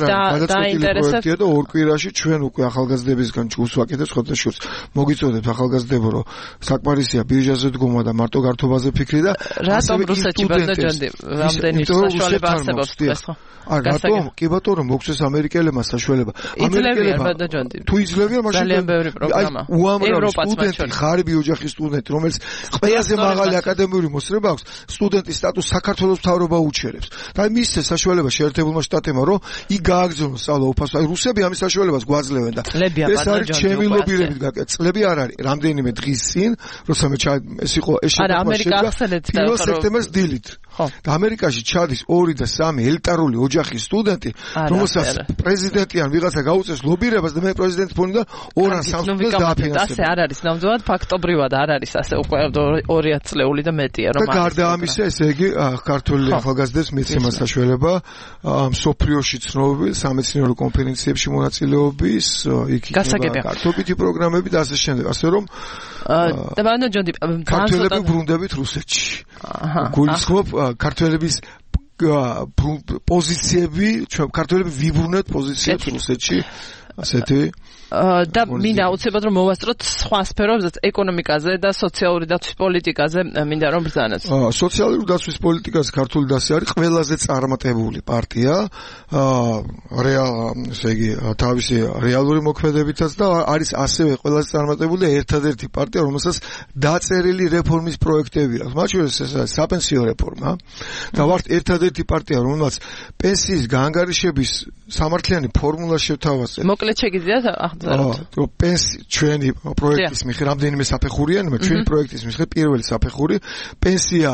დაინტერესებს და ორ კვირაში ჩვენ უკვე ახალგაზრდებისგან ჯგუფს ვაკეთებთ ხოთა შურს. მოგიწოდეთ ახალგაზრდებო რომ საკმარისია ბირჟაზე დგომა და მარტო გართობაზე ფიქრი და რატომ რუსეთში ბადაჯანდი რამდენი საშუალება არსებობს ეს ხო? რატომ? კი ბატონო, მოგცეს ამერიკელებმა საშუალება. ამერიკელებმა თუ იძლევიან მაშინ ძალიან ბევრი პროგრამა. უამრავი სტუდენტი, ღარიბი ოჯახის სტუდენტი, რომელიც ყველაზე მაღალი აკადემიური მოსწრება აქვს, სტუდენტის სტატუსს საქართველოს მთავრობა უჩერებს. და მისცეს საშუალება შეერთებულმა შტატებმა, რომ იქ გააგრძელოს სწავლა უფასო. აი რუსები ამის საშუალებას გვაძლევენ და ეს არის ჩემი ლობირებით გაკეთებული. წლები არ არის, რამდენიმე დღის წინ, როცა მე ეს იყო ეს შეფასება 1 სექტემბერს დილით. და ამერიკაში ჩადის 2 და 3 ელიტარული ოჯახის სტუდენტი, რომელსაც პრეზიდენტი ან ვიღაცა გაუწევს ლობირებას და მე პრეზიდენტის ფონიდან 2-3 წელს დააფინანსებ. ასე არ არის ნამდვილად ფაქტობრივად არ არის ასე უკვე 2 წლეული და მეტია რომ და გარდა ამისა ესე იგი ქართული ახალგაზრდებს მიცემა საშუალება მსოფლიოში ცნობილ სამეცნიერო კონფერენციებში მონაწილეობის, იქ იქნება კარტობითი პროგრამები და ასე შემდეგ, ასე რომ და ბანაჯონდი ქართველები ბრუნდებით რუსეთში. გულისხმობ ქართველების პოზიციები, ქართველები ვიბრუნეთ პოზიციებს რუსეთში, ასეთი და მინდა აუცილებლად რომ მოვასწროთ სხვა სფეროებზეც, ეკონომიკაზე და სოციალური დაცვის პოლიტიკაზე მინდა რომ ბრძანოთ. სოციალური დაცვის პოლიტიკაზე ქართული დასი არის ყველაზე წარმატებული პარტია, ესე იგი თავისი რეალური მოქმედებითაც და არის ასევე ყველაზე წარმატებული და ერთადერთი პარტია, რომელსაც დაწერილი რეფორმის პროექტები აქვს. მათ შორის ეს არის საპენსიო რეფორმა და ვართ ერთადერთი პარტია, რომელსაც პენსიის გაანგარიშების სამართლიანი ფორმულა შევთავაზეთ. მოკლედ შეგიძლიათ ჩვენი პროექტის მიხედვით რამდენიმე საფეხურია, ჩვენი პროექტის მიხედვით პირველი საფეხური პენსია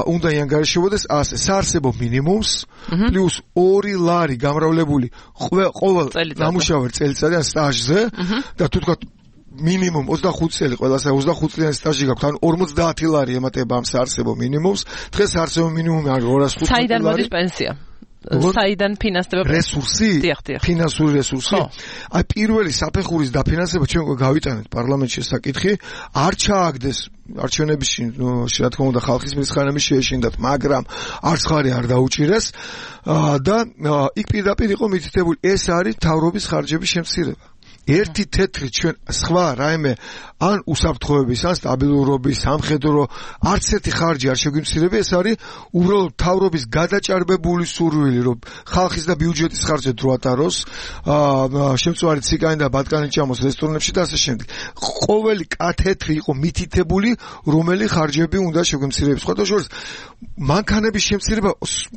უნდა იანგარიშებოდეს ასე საარსებო მინიმუმს პლუს 2 ლარი გამრავლებული ყოველ დამუშავებელ წელიწადში ან სტაჟზე და თუ თქვა მინიმუმ 25 წელი ყველასა 25 წლიანი სტაჟი გაქვთ, ან 50 ლარი ემატება ამ საარსებო მინიმუმს. დღეს საარსებო მინიმუმი არის 205 ლარი. საიდან მოდის პენსია? საიდან ფინანსდება რესურსი? ფინანსური რესურსი. აი პირველი საფეხურის დაფინანსება ჩვენ გავიტანეთ პარლამენტში საკითხი, არ ჩააგდეს არჩევნებში, რა თქმა უნდა ხალხის მრისხანების შეეშინდათ, მაგრამ არც ხარი არ დაუჭირეს და იქ პირდაპირ იყო მითითებული, ეს არის მთავრობის ხარჯების შემცირება. ერთი თეთრი ჩვენ სხვა რაიმე ან უსაფრთხოების, ან სტაბილურობის, სამხედრო არც ერთი ხარჯი არ შეგვიმცირება, ეს არის უბრალოდ მთავრობის გადაჭარბებული სურვილი, რომ ხალხის და ბიუჯეტის ხარჯზე დრო ატაროს, შემწვარი ციგანი და ბატკანი ჭამოს რესტორნებში და ასე შემდეგ. ყოველი კათეთრი იყო მითითებული, რომელი ხარჯები უნდა შეგვიმცირების. სხვათა შორის მანქანების შემცირება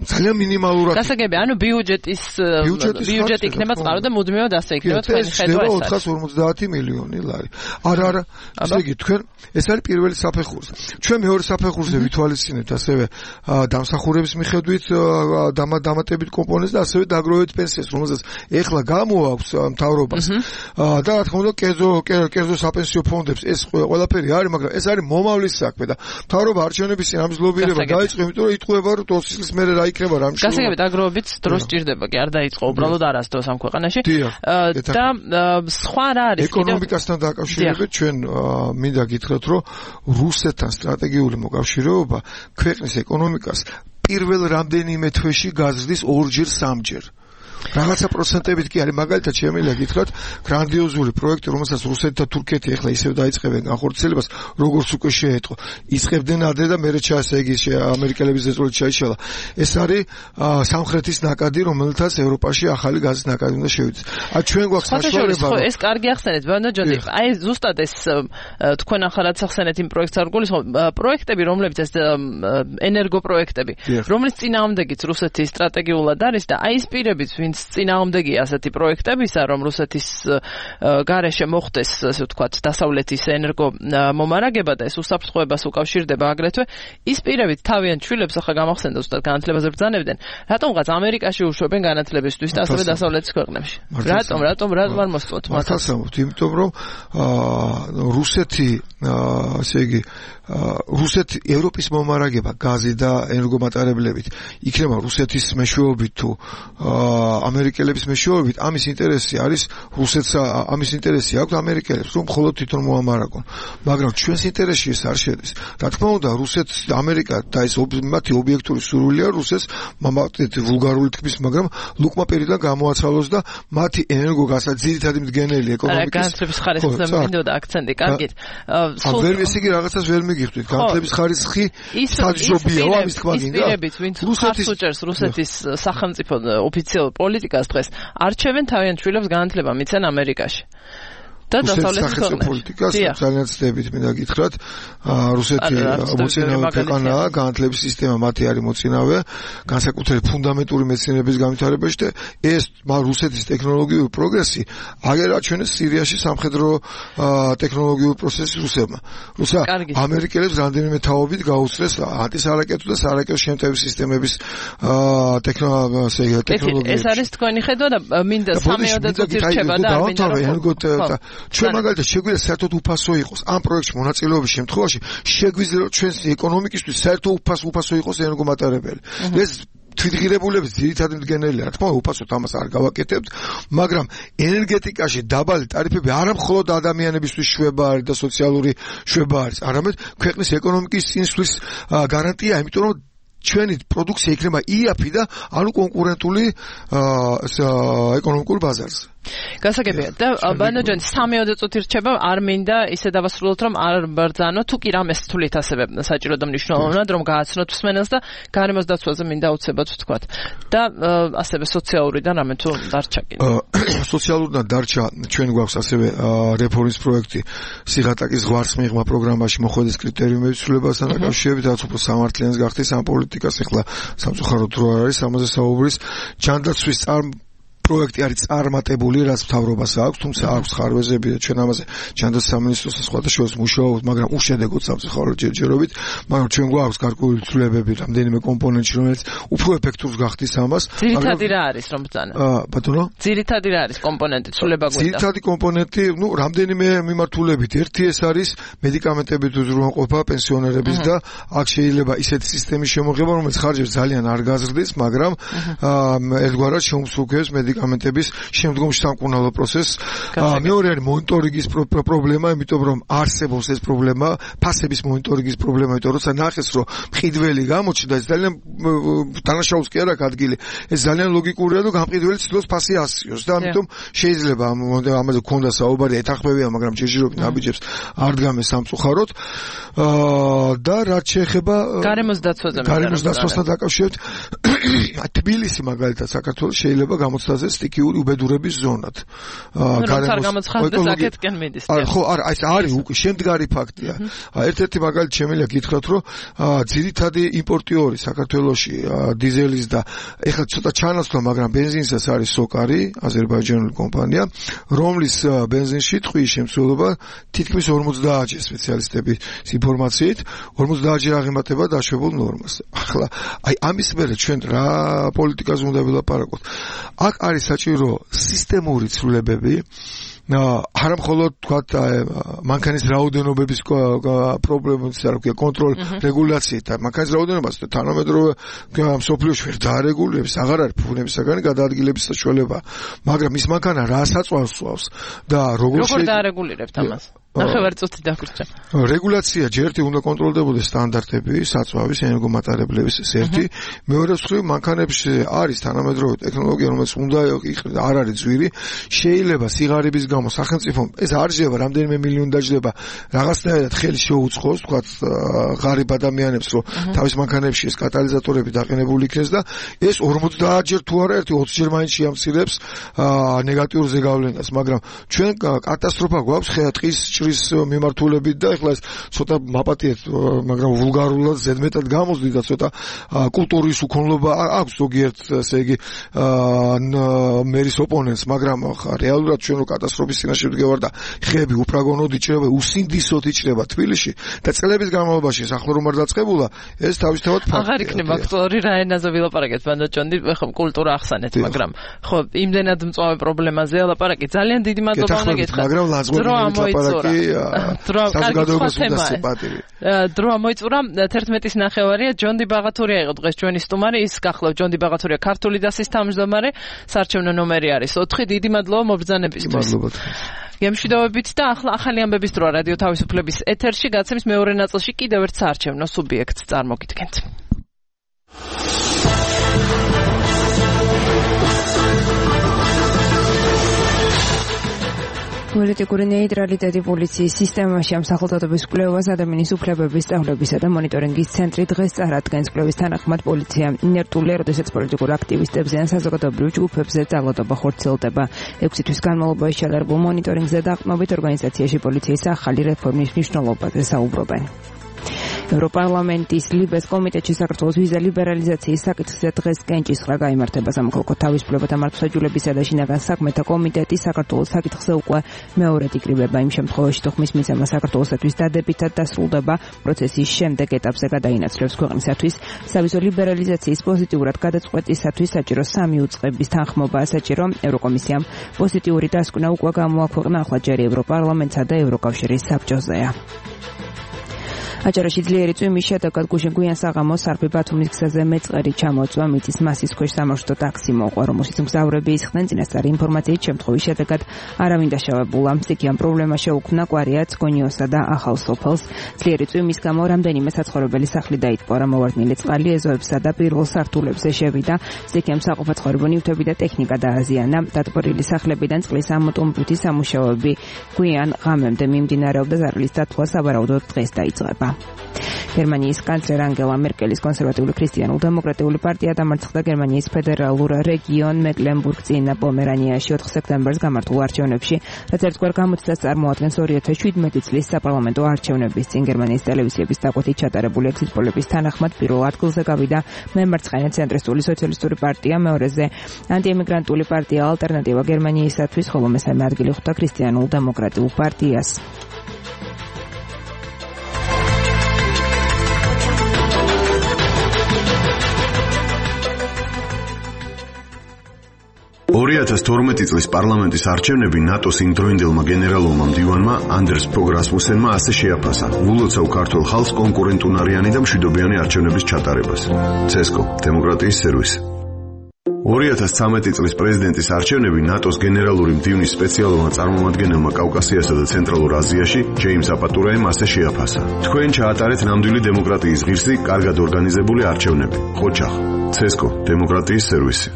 ძალიან მინიმალურად. გასაგებია, ანუ ბიუჯეტი იქნება წყარო და მუდმივად ასე იქნება თქვენი ხედვა. 450 მილიონი ლარი. არა, ესე იგი თქვენ ეს არის პირველი საფეხურზე. ჩვენ მეორე საფეხურზე ვითვალისწინებთ ასევე დამსახურების მიხედვით დამატებით კომპონენტს და ასევე დაგროვებით პენსიას, რომელსაც ეხლა გამოაქვს მთავრობას. და რა თქმა უნდა, კერძო საპენსიო ფონდებს ეს ყველაფერი არის, მაგრამ ეს არის მომავლის საქმე და მთავრობა არჩევნების წინ ამის ლობირება დაიწყო, იმიტომ რომ იტყვება, რომ 20 წლის მერე რა იქნება რა მშობლია. გასაგებია, დაგროვებით დრო სჭირდება, კი არ დაიწყო უბრალოდ არასდროს ამ ქვეყანაში. და სხვა რა არის? ეკონომიკასთან დაკავშირებით ჩვენ მინდა გითხრათ, რომ რუსეთთან სტრატეგიული მოკავშირეობა ქვეყნის ეკონომიკას პირველ რამდენიმე თვეში გაზრდის 2-ჯერ 3-ჯერ. რაღაცა პროცენტებით კი არის, მაგალითად შემიძლია გითხრათ, გრანდიოზული პროექტი, რომელსაც რუსეთი და თურქეთი ახლა ისევ დაიწყებენ განხორციელებას, როგორც უკვე შეეტყო. იწყებდნენ ადრე და მერე ესე იგი ამერიკელების ზეწოლით ჩაიშალა. ეს არის სამხრეთის ნაკადი, რომელთაც ევროპაში ახალი გაზის ნაკადი უნდა შევიდეს. ჩვენ გვაქვს საშუალება. ეს კარგი ახსენეთ, ბანდა ჯონი. აი ზუსტად ეს თქვენ ახალად ახსენეთ იმ პროექტს არ გულისხმობ, პროექტები, რომლებიც ეს ენერგო პროექტები, რომლის წინააღმდეგიც რუსეთი სტრატეგიულად არის და აი ის პირებიც წინააღმდეგია ასეთი პროექტებისა, რომ რუსეთის გარეშე მოხდეს, ასე ვთქვათ, დასავლეთის ენერგო მომარაგება და ეს უსაფრთხოებას უკავშირდება აგრეთვე, ის პირებით თავიანთ შვილებს ახლა გამახსენდა ზუსტად განათლებაზე ბრძანებდნენ. რატომღაც ამერიკაში უშვებენ განათლებისთვის და ასევე დასავლეთის ქვეყნებში? რატომ არ მოსწოთ მათ? იმიტომ რომ რუსეთი, ასე იგი რუსეთი ევროპის მომარაგება გაზი და ენერგომატარებლებით იქნება რუსეთის მეშვეობით თუ ამერიკელების მეშვეობით, ამის ინტერესი არის რუსეთს, ამის ინტერესი აქვს ამერიკელებს, რომ მხოლოდ თვითონ მოამარაგონ. მაგრამ ჩვენს ინტერესში ეს არ შედის. რა თქმა უნდა, რუსეთს ამერიკა და ეს მათი ობიექტური სურვილია რუსეთს მამატეთ ვულგარული თქმის, მაგრამ ლუკმა პირიდან გამოაცალოს და მათი ენერგოგასა ძირითადი მდგენელი ეკონომიკის განათლების ხარისხზე მინდოდა აქცენტი. კარგით. ვერ ესე იგი რაღაცას ვერ მიგიხდით. განათლების ხარისხი საჯობია, ამის თქვა გინდა. ისპირებით, ვინც უჭერს რუსეთის სახელმწიფო ოფიციალურ პოლიტიკას დღეს არჩევენ თავიანთ შვილებს განათლება მიცენ ამერიკაში. და დასავლეთის პოლიტიკას ძალიან ცდებით მინდა გითხრათ, რუსეთი მოწინავე ქვეყანაა, განათლების სისტემა მათი არის მოწინავე, განსაკუთრებით ფუნდამენტური მეცნიერების განვითარებაში და ეს რუსეთის ტექნოლოგიური პროგრესი აგერ აჩვენეს სირიაში სამხედრო ტექნოლოგიური პროცესის რუსებმა. ამერიკელებს რამდენიმე თაობით გაუწრეს ანტისარაკეტო და სარაკეტო შემტევი სისტემების ტექნოლოგიები. ეს არის თქვენი ხედვა და მინდა 3-ოდე წუთი რჩება და მინდა ჩვენ მაგალითად შეგვიძლია საერთოდ უფასო იყოს ამ პროექტში მონაწილეობის შემთხვევაში შეგვიძლია რომ ჩვენს ეკონომიკისთვის საერთოდ უფასო იყოს ენერგომატარებელი. ეს თვითღირებულების ძირითადი მდგენელია, რა თქმა უნდა, უფასოდ ამას არ გავაკეთებთ, მაგრამ ენერგეტიკაში დაბალი ტარიფები არა მხოლოდ ადამიანებისთვის შვება არის და სოციალური შვება არის, არამედ ქვეყნის ეკონომიკის წინსვლის გარანტია, იმიტომ რომ ჩვენი პროდუქცია იქნება იაფი და ანუ კონკურენტული ეკონომიკურ ბაზარზე. გასაგებია და ბანოჯანი 3-ოდე წუთი რჩება, არ მინდა ისე დავასრულოთ, რომ არ ბრძანო, თუ კი რამეს თვლით ასევე საჭირო და მნიშვნელოვნად, რომ გააცნოთ მსმენელს და გარემოს დაცვაზე მინდა უცებად ვთქვათ. და ასევე სოციალურიდან რამე თუ დარჩა კიდე. სოციალურიდან დარჩა, ჩვენ გვაქვს ასევე რეფორმის პროექტი სიღატაკის ზღვარს მიღმა პროგრამაში მოხვედის კრიტერიუმების ცვლილებასთან დაკავშირებით, რაც უფრო სამართლიანს გახდეს ამ პოლიტიკას, ახლა სამწუხაროდ რო არ არის ამაზე საუბრის, ჯანდაცვის პროექტი არის წარმატებული, რაც მთავრობას აქვს, თუმცა აქვს ხარვეზები და ჩვენ ამაზე ჯანდაცვის სამინისტროს და სხვათა შორის მუშაობთ, მაგრამ უშედეგოდ სამწუხაროდ ჯერჯერობით, მაგრამ ჩვენ გვაქვს გარკვეული ცვლილებები რამდენიმე კომპონენტში, რომელიც უფრო ეფექტურს გახდის ამას. ძირითადი რა არის რომ ბრძანა? ბატონო? ძირითადი რა არის კომპონენტი ცვლილება გვინდა? ძირითადი კომპონენტი, რამდენიმე მიმართულებით. ერთი ეს არის მედიკამენტებით უზრუნველყოფა პენსიონერების და აქ შეიძლება ისეთი სისტემის შემოღება, რომელიც ხარჯებს ძალიან არ გაზრდის, მაგრამ ერთგვარად შეუმსხვილებს მედიკამენტების შემდგომ სამკურნალო პროცესს. მეორე არის მონიტორინგის პრობლემა, იმიტომ რომ არსებობს ეს პრობლემა, ფასების მონიტორინგის პრობლემა, იმიტომ როცა ნახეს, რომ მყიდველი გამოჩნდა, ეს ძალიან დანაშაულს კი არ აქვს ადგილი. ეს ძალიან ლოგიკურია, რომ გამყიდველი ცდილობს ფასი ასწიოს და ამიტომ შეიძლება ამაზე გქონდა საუბარი, ეთანხმებია, მაგრამ ჯერჯერობით ნაბიჯებს არ დგამეს სამწუხაროდ. და რაც შეეხება გარემოს დაცვაზე გარემოს დაცვასთან დაკავშირებით თბილისი მაგალითად საქართველოს შეიძლება გამოცდაზე სტიქიური უბედურების ზონად. გარემოს მიდის. ხო, არა, ეს არის უკვე შემდგარი ფაქტია. ერთ-ერთი მაგალითი შემიძლია გითხრათ, რომ ძირითადი იმპორტიორი საქართველოში დიზელის და ეხლა ცოტა ჩანაცვლა, მაგრამ ბენზინსაც არის სოკარი, აზერბაიჯანული კომპანია, რომლის ბენზინში ტყვის შემცველობა თითქმის 50-ჯერ სპეციალისტების ინფორმაციით 50-ჯერ აღემატება დაშვებულ ნორმას. ახლა აი ამის მერე ჩვენ რა პოლიტიკაზე უნდა ვილაპარაკოთ. აქ არის საჭირო სისტემური ცვლილებები, არა მხოლოდ თქვათ მანქანის რაოდენობების პრობლემის კონტროლ რეგულაციით, მანქანის რაოდენობას თანამედროვე მსოფლიოში ვერ დაარეგულირებს, აღარ არის ფუნებისაგანი გადაადგილების საშუალება, მაგრამ ის მანქანა რა საწვავს და როგორ დაარეგულირებთ ამას? ნახევარწუთი დაგვრჩა. რეგულაცია ჯერთი უნდა კონტროლდებოდეს სტანდარტები, საწვავის, ენერგომატარებლების ერთი, მეორე მხრივ მანქანებში არის თანამედროვე ტექნოლოგია, რომელიც უნდა იყრება, არ არის ძვირი, შეიძლება სიღარიბის გამო სახელმწიფომ ეს არ შეიძლება რამდენიმე მილიონი დაჯდება რაღაცნაირად ხელი შეუწყოს, თქვათ ღარიბ ადამიანებს, რომ თავის მანქანებში ეს კატალიზატორები დაყენებული იქნეს და ეს 50-ჯერ თუ არა ერთი 20-ჯერ მაინც შეამცირებს ნეგატიურ ზეგავლენას, მაგრამ ჩვენ კატასტროფა გვაქვს ხეატყის ჭრის მიმართულებით და ეხლა ეს ცოტა მაპატიეთ, მაგრამ ვულგარულად ზედმეტად გამოსდი და ცოტა კულტურის უქონლობა აქვს ზოგიერთ, ესე იგი მერის ოპონენტს, მაგრამ რეალურად ჩვენ რო კატასტროფის წინაშე ვდგევარ და ხეები უფრაგონოდ იჭრება, უსინდისოდ იჭრება თბილისში და წლების განმავლობაში ახლა რომ არ დაწყებულა, ეს თავისთავად ფაქტია. აღარ იქნება აქტუალური რა ენაზე ვილაპარაკეთ, ბანდაჭონდი, ხო კულტურა ახსენეთ, მაგრამ ხო იმდენად მწვავე პრობლემაზეა ლაპარაკი. ძალიან დიდი მადლობა უნდა გითხრათ. მაგრამ ლაზღობრივი ლაპარაკი საზოგადოებას უნდა სიპატირი. დრო მოიწურა 11:09 ჯონდი ბაღათურია იყო დღეს ჩვენი სტუმარი, ის გახლავთ ჯონდი ბაღათურია ქართული დასის თავმჯდომარე, საარჩევნო ნომერი არის 4. დიდი მადლობა მობრძანებისთვის. გემშვიდობებით და ახლა ახალი ამბების დროა რადიო თავისუფლების ეთერში, გაცემის მეორე ნაწილში კიდევ ერთ საარჩევნო სუბიექტს წარმოგიდგენთ. პოლიტიკური ნეიტრალიტეტი პოლიციის სისტემაში ამ სახელწოდების კვლევას ადამიანის უფლებების სწავლებისა და მონიტორინგის ცენტრი დღეს წარადგენს. კვლევის თანახმად პოლიცია ინერტულია, როდესაც პოლიტიკურ აქტივისტებზე ან საზოგადოებრივ ჯგუფებზე ძალადობა ხორციელდება. 6 თვის განმავლობაში ჩატარებულ მონიტორინგზე დაყრდნობით ორგანიზაციაში პოლიციის ახალი რეფორმის მნიშვნელობაზე საუბრობენ. ევროპარლამენტის ლიბეს კომიტეტში საქართველოს ვიზა ლიბერალიზაციის საკითხზე დღეს კენჭისყრა გაიმართება. სამოქალაქო თავისუფლებათა მართლმსაჯულებისა და შინაგან საქმეთა კომიტეტი საქართველოს საკითხზე უკვე მეორედ იკრიბება იმ შემთხვევაში, თუ ხმის მიცემა საქართველოსთვის დადებითად დასრულდება, პროცესის შემდეგ ეტაპზე გადაინაცვლებს ქვეყნისათვის სავიზო ლიბერალიზაციის პოზიტიურად გადაწყვეტისათვის საჭირო 3 უწყების თანხმობაა საჭირო. ევროკომისიამ პოზიტიური დასკვნა უკვე გამოაქვეყნა, ახლა ჯერი ევროპარლამენტსა და ევროკავშირის საბჭოზეა. აჭარაში ძლიერი წვიმის შედეგად გუშინ-გვიან საღამოს სარფი ბათუმის გზაზე მეწყერი ჩამოწვა, მიწის მასის ქვეშ სამარშრუტო ტაქსი მოყვა, რომელშიც მგზავრები ისხდნენ. წინასწარი ინფორმაციით შემთხვევის შედეგად არავინ დაშავებულა. მწიქიან პრობლემა შეუქმნა კვარიაც, გონიოსა და ახალ სოფელს. ძლიერი წვიმის გამო რამდენიმე საცხოვრებელი სახლი დაიტყო, გამოვარდნილი წყალი ეზოებსა და პირველ სართულებზე შევიდა. მწიქიან საყოფაცხოვრებო ნივთები და ტექნიკა დააზიანა. დატბორილი სახლებიდან წყლის ამოტომბვითი სამუშაოები გვიან ღამემდე მიმდინარეობდა. ზარალის დათვლა სავარაუდოდ დღეს დაიწყება. გერმანიის კანცლერ ანგელა მერკელის კონსერვატიული ქრისტიანულ-დემოკრატიული პარტია დამარცხდა გერმანიის ფედერალურ რეგიონ მეკლენბურგ-წინა პომერანიაში 4 სექტემბერს გამართულ არჩევნებში, რაც ერთგვარ გამოცდას წარმოადგენს 2017 წლის საპარლამენტო არჩევნების წინ. გერმანიის ტელევიზიების დაკვეთით ჩატარებული ეგზიტ პოლების თანახმად პირველ ადგილზე გავიდა მემარცხენე ცენტრისტული სოციალისტური პარტია, მეორეზე ანტიემიგრანტული პარტია ალტერნატივა გერმანიისათვის, ხოლო მესამე ადგილი ხვდა ქრისტიანულ-დემოკრატიულ პარტიას. წლის პარლამენტის არჩევნები ნატოს იმდროინდელმა გენერალურმა მდივანმა ანდერს ფოგ რასმუსენმა ასე შეაფასა ულოცავ ქართულ ხალხს კონკურენტუნარიანი და მშვიდობიანი არჩევნების ჩატარებას. ცესკო, დემოკრატიის სერვისი. 2013 წლის პრეზიდენტის არჩევნები ნატოს გენერალური მდივნის სპეციალურმა წარმომადგენელმა კავკასიასა და ცენტრალურ აზიაში ჯეიმს აპატურაემ ასე შეაფასა. თქვენ ჩაატარეთ ნამდვილი დემოკრატიის ღირსი, კარგად ორგანიზებული არჩევნები. ხოჩახ, ცესკო, დემოკრატიის სერვისი.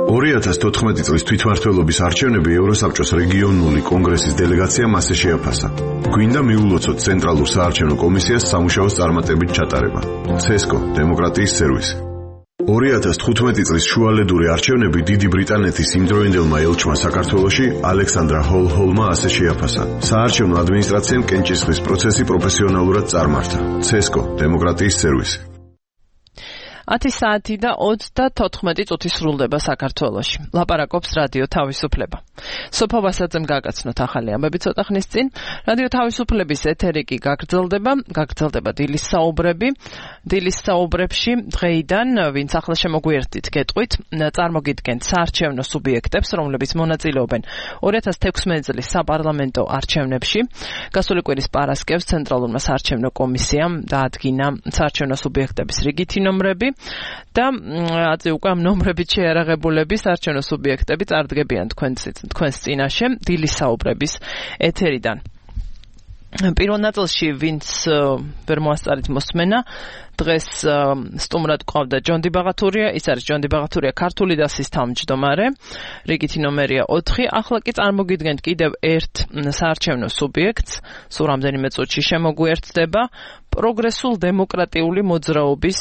2014 წლის თვითმმართველობის არჩევნები ევროსაბჭოს რეგიონული კონგრესის დელეგაციამ ასე შეაფასა. გვინდა მიულოცოთ ცენტრალურ საარჩევნო კომისიას სამუშაოს წარმატებით ჩატარება. ცესკო, დემოკრატიის სერვისი. 2015 წლის შუალედური არჩევნები დიდი ბრიტანეთის იმდროინდელმა ელჩმა საქართველოში ალექსანდრა ჰოლჰოლმა ასე შეაფასა. საარჩევნო ადმინისტრაციამ კენჭისყრის პროცესი პროფესიონალურად წარმართა. CESCO დემოკრატიის სერვისი. 10 საათი და 34 წუთი სრულდება საქართველოში. ლაპარაკობს რადიო თავისუფლება. სოფო ვასაძემ გაგაცნოთ ახალი ამბები ცოტა ხნის წინ. რადიო თავისუფლების ეთერი კი გაგრძელდება დილის საუბრები. დილის საუბრებში დღეიდან ვინც ახლა შემოგვიერთდით გეტყვით, წარმოგიდგენთ საარჩევნო სუბიექტებს, რომლებიც მონაწილეობენ 2016 წლის საპარლამენტო არჩევნებში. გასული კვირის პარასკევს ცენტრალურმა საარჩევნო კომისიამ დაადგინა საარჩევნო სუბიექტების რიგითი ნომრები. და აწი უკვე ამ ნომრებით შეარაღებულები საარჩევნო სუბიექტები წარდგებიან თქვენს წინაშე დილის საუბრების ეთერიდან. პირველ ნაწილში ვინც ვერ მოასწარით მოსმენა დღეს სტუმრად გვყავდა ჯონდი ბაღათურია, ის არის ჯონდი ბაღათურია ქართული დასის თავმჯდომარე, რიგითი ნომერია 4. ახლა კი წარმოგიდგენთ კიდევ ერთ საარჩევნო სუბიექტს, სულ რამდენიმე წუთში შემოგვიერთდება პროგრესულ დემოკრატიული მოძრაობის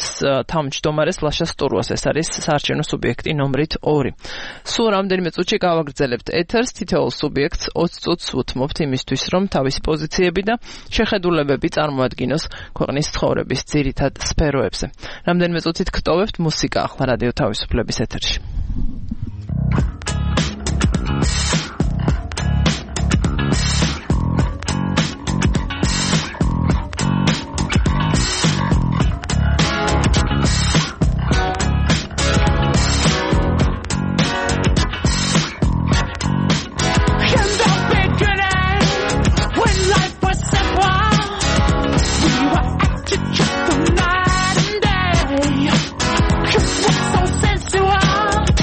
თავმჯდომარეს ლაშა სტურუას, ეს არის საარჩევნო სუბიექტი ნომრით 2. სულ რამდენიმე წუთში გავაგრძელებთ ეთერს, თითოეულ სუბიექტს 20 წუთს უთმობთ იმისთვის, რომ თავისი პოზიციები და შეხედულებები წარმოადგინოს ქვეყნის ცხოვრების ძირითად სფეროებზე. რამდენიმე წუთით გტოვებთ მუსიკა ახლა რადიო თავისუფლების ეთერში. Night and day, 'cause what's so sensual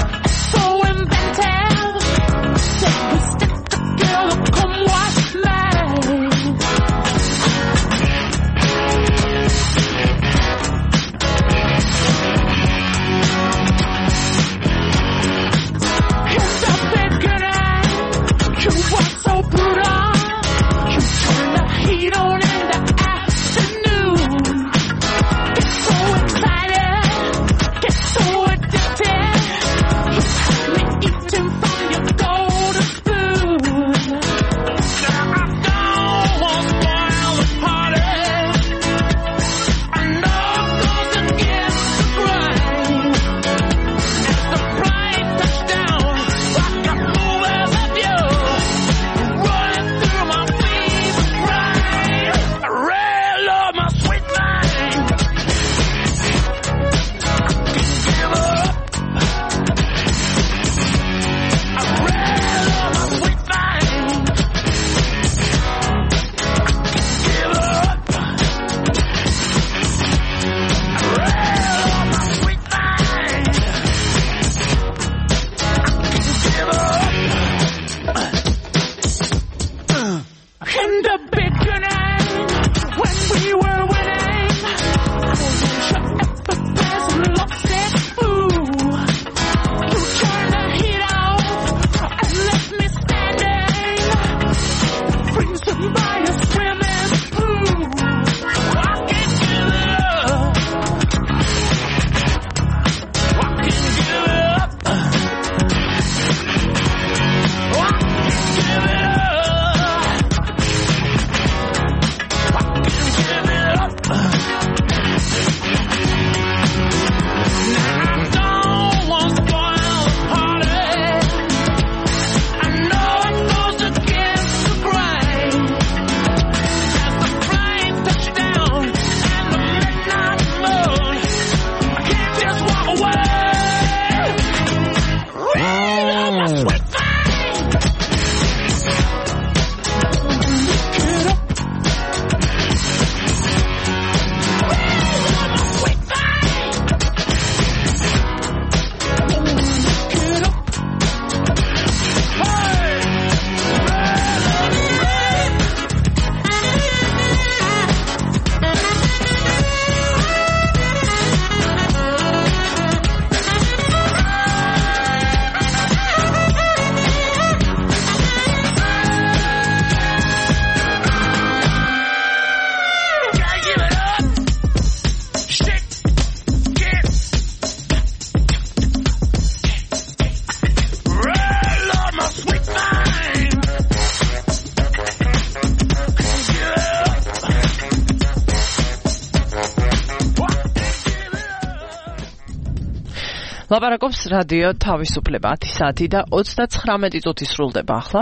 ლაპარაკობს რადიო თავისუფლება 10 საათი და 39 წუთი სრულდება ახლა.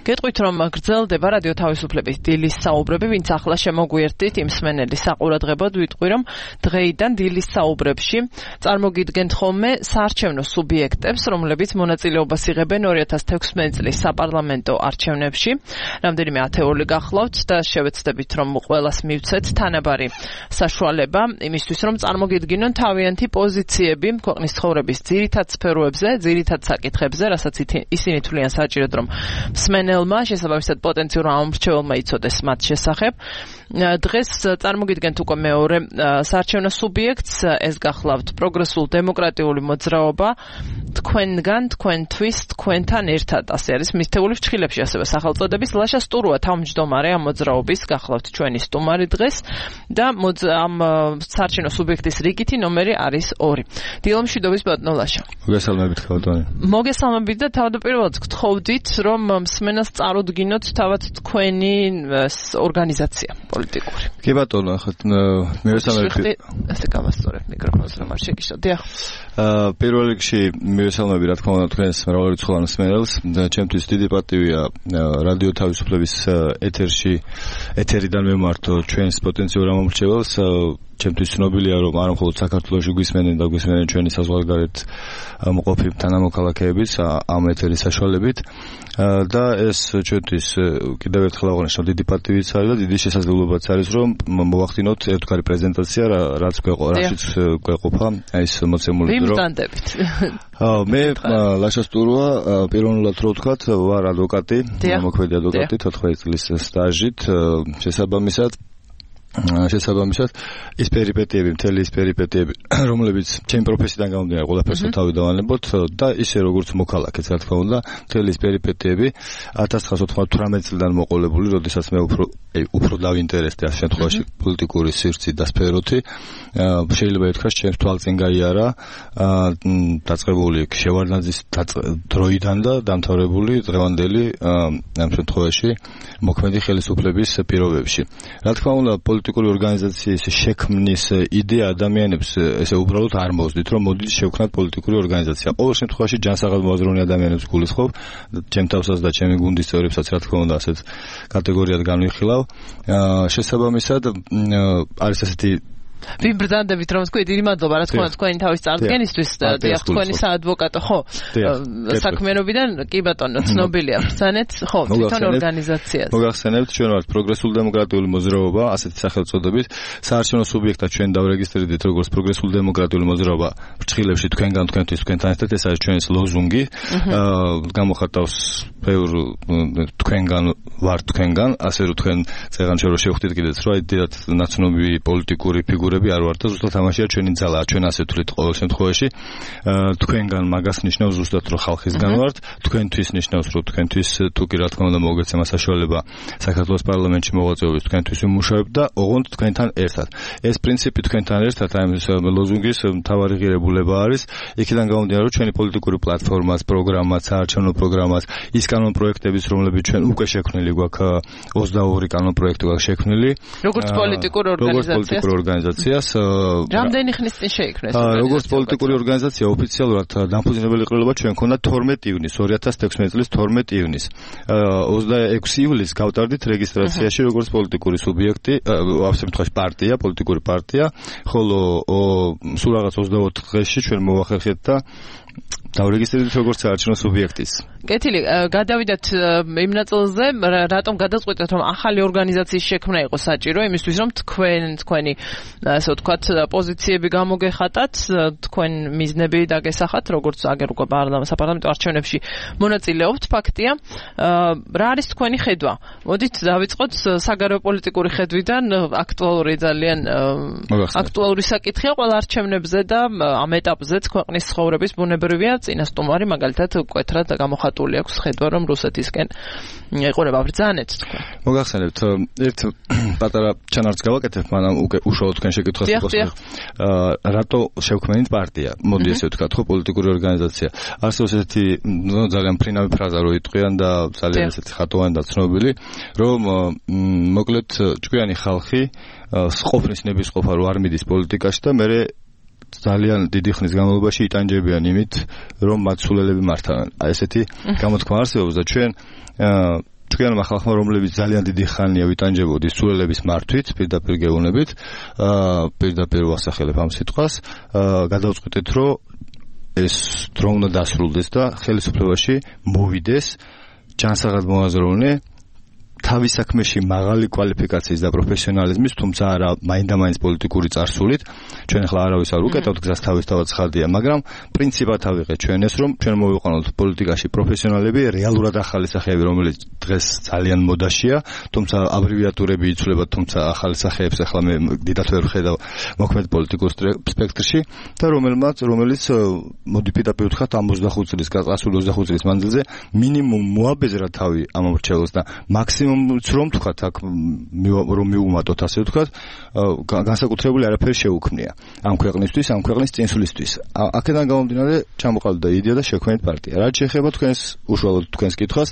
გეტყვით რომ გრძელდება რადიო თავისუფლების დილის საუბრები, ვინც ახლა შემოგვიერთდით იმ მსმენელი საყურადღებოდ ვიტყვი რომ დღეიდან დილის საუბრებში წარმოგიდგენთ ხოლმე საარჩევნო სუბიექტებს, რომლებიც მონაწილეობას იღებენ 2016 წლის საპარლამენტო არჩევნებში. რამდენიმე ათეული გახლავთ და შევეცდებით რომ ყველას მივცეთ თანაბარი საშუალება იმისთვის რომ წარმოგიდგინონ თავიანთი პოზიციები ქვეყნის ცხოვრების ძირითად სფეროებზე, ძირითად საკითხებზე, რასაც ისინი თვლიან საჭიროდ რომ მსმენელმა, შესაბამისად პოტენციურმა ამომრჩეველმა იცოდეს მათ შესახებ. დღეს წარმოგიდგენთ უკვე მეორე საარჩევნო სუბიექტს, ეს გახლავთ პროგრესულ დემოკრატიული მოძრაობა, თქვენგან, თქვენთვის, თქვენთან ერთად, ასე არის მისთეული ფრჩხილებში ასევე სახელწოდების. ლაშა სტურუა თავმჯდომარე ამ მოძრაობის, გახლავთ ჩვენი სტუმარი დღეს და ამ საარჩევნო სუბიექტის რიგითი ნომერი არის 2. დილომშვიდობის ბატონო ლაშა. მოგესალმებით ბატონო. მოგესალმებით და თავდაპირველად გთხოვდით რომ მსმენელს წარუდგინოთ თავად თქვენი ორგანიზაცია პოლიტიკური. კი ბატონო, ახლა მივესალმებით. ასე გავასწორებ მიკროფონს რომ არ შეგიშო. დიახ. პირველ რიგში მივესალმებით რა თქმა უნდა თქვენს მრავალრიცხოვან მსმენელს. ჩემთვის დიდი პატივია რადიო თავისუფლების ეთერიდან მემართო ჩვენს პოტენციურ ამომრჩეველს. ჩემთვის ცნობილია რომ არ მხოლოდ საქართველოში გვისმენენ და გვისმენენ ჩვენი საზღვარგარეთ მყოფი თანამოქალაქეებიც ამ ეთერის საშუალებით და ეს ჩვენთვის კიდევ ერთხელ აღნიშნავ დიდი პატივიც არის და დიდი შესაძლებლობაც არის რომ მოვახდინოთ ერთგვარი პრეზენტაცია რაც გვეყოფა ეს მოცემული დრო. ვიმტანდებით. მე ლაშა სტურუა პიროვნულად რო ვთქვათ ვარ ადვოკატი, მოქმედი ადვოკატი 14 წლის სტაჟით შესაბამისად ის პერიპეტიები, მთელი ის პერიპეტიები, რომლებიც ჩემი პროფესიიდან გამომდინარე, ყველაფერს თავი დავანებოთ და ისე როგორც მოქალაქეც, რა თქმა უნდა, მთელი ის პერიპეტიები 1998 წლიდან მოყოლებული, როდესაც მე უფრო დავინტერესდი ამ შემთხვევაში პოლიტიკური სივრცით და სფეროთი, შეიძლება ითქვას, ჩემს თვალწინ გაიარა დაწყებული შევარდნაძის დროიდან და დამთავრებული დღევანდელი ამ შემთხვევაში მოქმედი ხელისუფლების პირობებში. რა თქმა უნდა, პოლიტიკური ორგანიზაციის შექმნის იდეა ადამიანებს ესე უბრალოდ არ მოუძდით რომ მოდით შევქნათ პოლიტიკური ორგანიზაცია. ყოველ შემთხვევაში ჯანსაღად მოაზროვნე ადამიანებს გულისხმობ, ჩემ თავსაც და ჩემი გუნდის წევრებსაც რა თქმა უნდა ასეთ კატეგორიად განვიხილავ. შესაბამისად არის ასეთი ვინ ბრდანდებით რომ თქვი დიდი მადლობა რა თქმა უნდა თქვენი თავის წარდგენისთვის დიახ თქვენი საადვოკატო ხო საქმიანობიდან კი ბატონო ცნობილია ბრძანეთ ხო თვითონ ორგანიზაციას მოგახსენებთ ჩვენ ვართ პროგრესული დემოკრატიული მოძრაობა ასეთი სახელწოდებით საარჩევნო სუბიექტად ჩვენ დავრეგისტრირდით როგორც პროგრესული დემოკრატიული მოძრაობა ფრჩხილებში თქვენგან თქვენთვის თქვენთან ერთად ეს არის ჩვენს ლოზუნგი გამოხატავს ბევრ თქვენგან ვარ თქვენგან ასე რომ თქვენ წეღანჩე რომ შევხვდით კიდეც რა დიდად ნაცნობი პოლიტიკური ფიგურები არ ვართ და ზუსტად ამაშია ჩვენი ძალა ჩვენ ასე თვლით ყოველ შემთხვევაში თქვენგან მაგას ნიშნავს ზუსტად რომ ხალხისგან ვართ თქვენთვის ნიშნავს რომ თქვენთვის თუ კი რა თქმა უნდა მოგეცემა საშუალება საქართველოს პარლამენტში მოღვაწეობის თქვენთვის ვიმუშავებ და ოღონდ თქვენთან ერთად ეს პრინციპი თქვენთან ერთად აი ეს ლოზუნგის მთავარი ღირებულება არის იქიდან გამომდინარე რომ ჩვენი პოლიტიკური პლატფორმაც პროგრამაც საარჩევნო პროგრამაც ის კანონ პროექტებიც რომლებიც ჩვენ უკვე შექმნილი გვაქვს 22 კანონ პროექტი გვაქვს შექმნილი როგორც პოლიტიკური ორგანიზაციას რამდენი ხნის წინ შეიქმნეს როგორც პოლიტიკური ორგანიზაცია ოფიციალურად დამფუძნებელი ყრილობა ჩვენ ქონდა 12 ივნის 2016 წლის 12 ივნის 26 ივლისს გავტარდით რეგისტრაციაში როგორც პოლიტიკური სუბიექტი ამ შემთხვევაში პარტია პოლიტიკური პარტია ხოლო სულ რაღაც 24 დღეში ჩვენ მოვახერხეთ და დავრეგისტრირდით როგორც საარჩევნო სუბიექტის. კეთილი, გადავიდეთ იმ ნაწილზე, რატომ გადაწყვეტეთ რომ ახალი ორგანიზაციის შექმნა იყო საჭირო, იმისთვის რომ თქვენი ასე ვთქვათ პოზიციები გამოგეხატათ, თქვენ მიზნები დაგესახათ, როგორც აგერ უკვე საპარლამენტო არჩევნებში მონაწილეობთ, ფაქტია. რა არის თქვენი ხედვა? მოდით დავიწყოთ საგარეო პოლიტიკური ხედვიდან, აქტუალური ძალიან აქტუალური საკითხია ყველა არჩევნებზე და ამ ეტაპზეც ქვეყნის ცხოვრების ბუნებრივია წინა სტუმარი მაგალითად მკვეთრად გამოხატული აქვს ხედვა რომ რუსეთისკენ ეყურება ბრძანეთ თქვენ. მოგახსენებთ ერთ პატარა ჩანართს გავაკეთებ, მაგრამ უკვე უშუალოდ თქვენ შეკითხვას გასაგებ. რატო შევქმნით პარტია? მოდი ესე ვთქვათ, ხო, პოლიტიკური ორგანიზაცია. არსებობს ესეთი ძალიან ფრინავი ფრაზა რო იტყვიან და ძალიან ესეთი ხატოვანი და ცნობილი, რომ მოკლედ ჭკვიანი ხალხი ყოფნის ნებისყოფა რო არ მიდის პოლიტიკაში და მე ძალიან დიდი ხნის განმავლობაში იტანჯებიან იმით, რომ მათ სულელები მართავენ. აი ესეთი გამოთქმა არსებობს და ჩვენმა ხალხმა, რომლებიც ძალიან დიდი ხანია ვიტანჯებოდი სულელების მართვით, პირდაპირ გეუბნებით, პირდაპირ ვახსახელებ ამ სიტყვას, გადავწყვიტეთ, რომ ეს დრო უნდა დასრულდეს და ხელისუფლებაში მოვიდეს ჯანსაღად მოაზროვნე თავის საქმეში მაღალი კვალიფიკაციის და პროფესიონალიზმის, თუმცა არა მაინდა-მაინც პოლიტიკური წარსულით. ჩვენ ახლა არავის არ უკეთავთ გზას თავისთავად ცხადია, მაგრამ პრინციპად ავიღეთ ჩვენ ეს, რომ ჩვენ მოვიყვანოთ პოლიტიკაში პროფესიონალები, რეალურად ახალი სახეები, რომელიც დღეს ძალიან მოდაშია, თუმცა აბრევიატურები იცვლება, თუმცა ახალი სახეებს ახლა მე დიდად ვერ ვხედავ მოქმედ პოლიტიკურ სპექტრში და რომელიც მოდი პირდაპირ ვთქვათ ამ 25 წლის, გასული 25 წლის მანძილზე მინიმუმ მოაბეზრა თავი ამ მრჩეველს და მაქსიმუმ რომ თქვათ აქ რომ მიუმატოთ ასე ვთქვათ განსაკუთრებული არაფერი შეუქმნია ამ ქვეყნისთვის, ამ ქვეყნის წინსვლისთვის. აქედან გამომდინარე ჩამოყალიბდა იდეა და შექმნით პარტია. რაც შეეხება თქვენს უშუალოდ თქვენს კითხვას,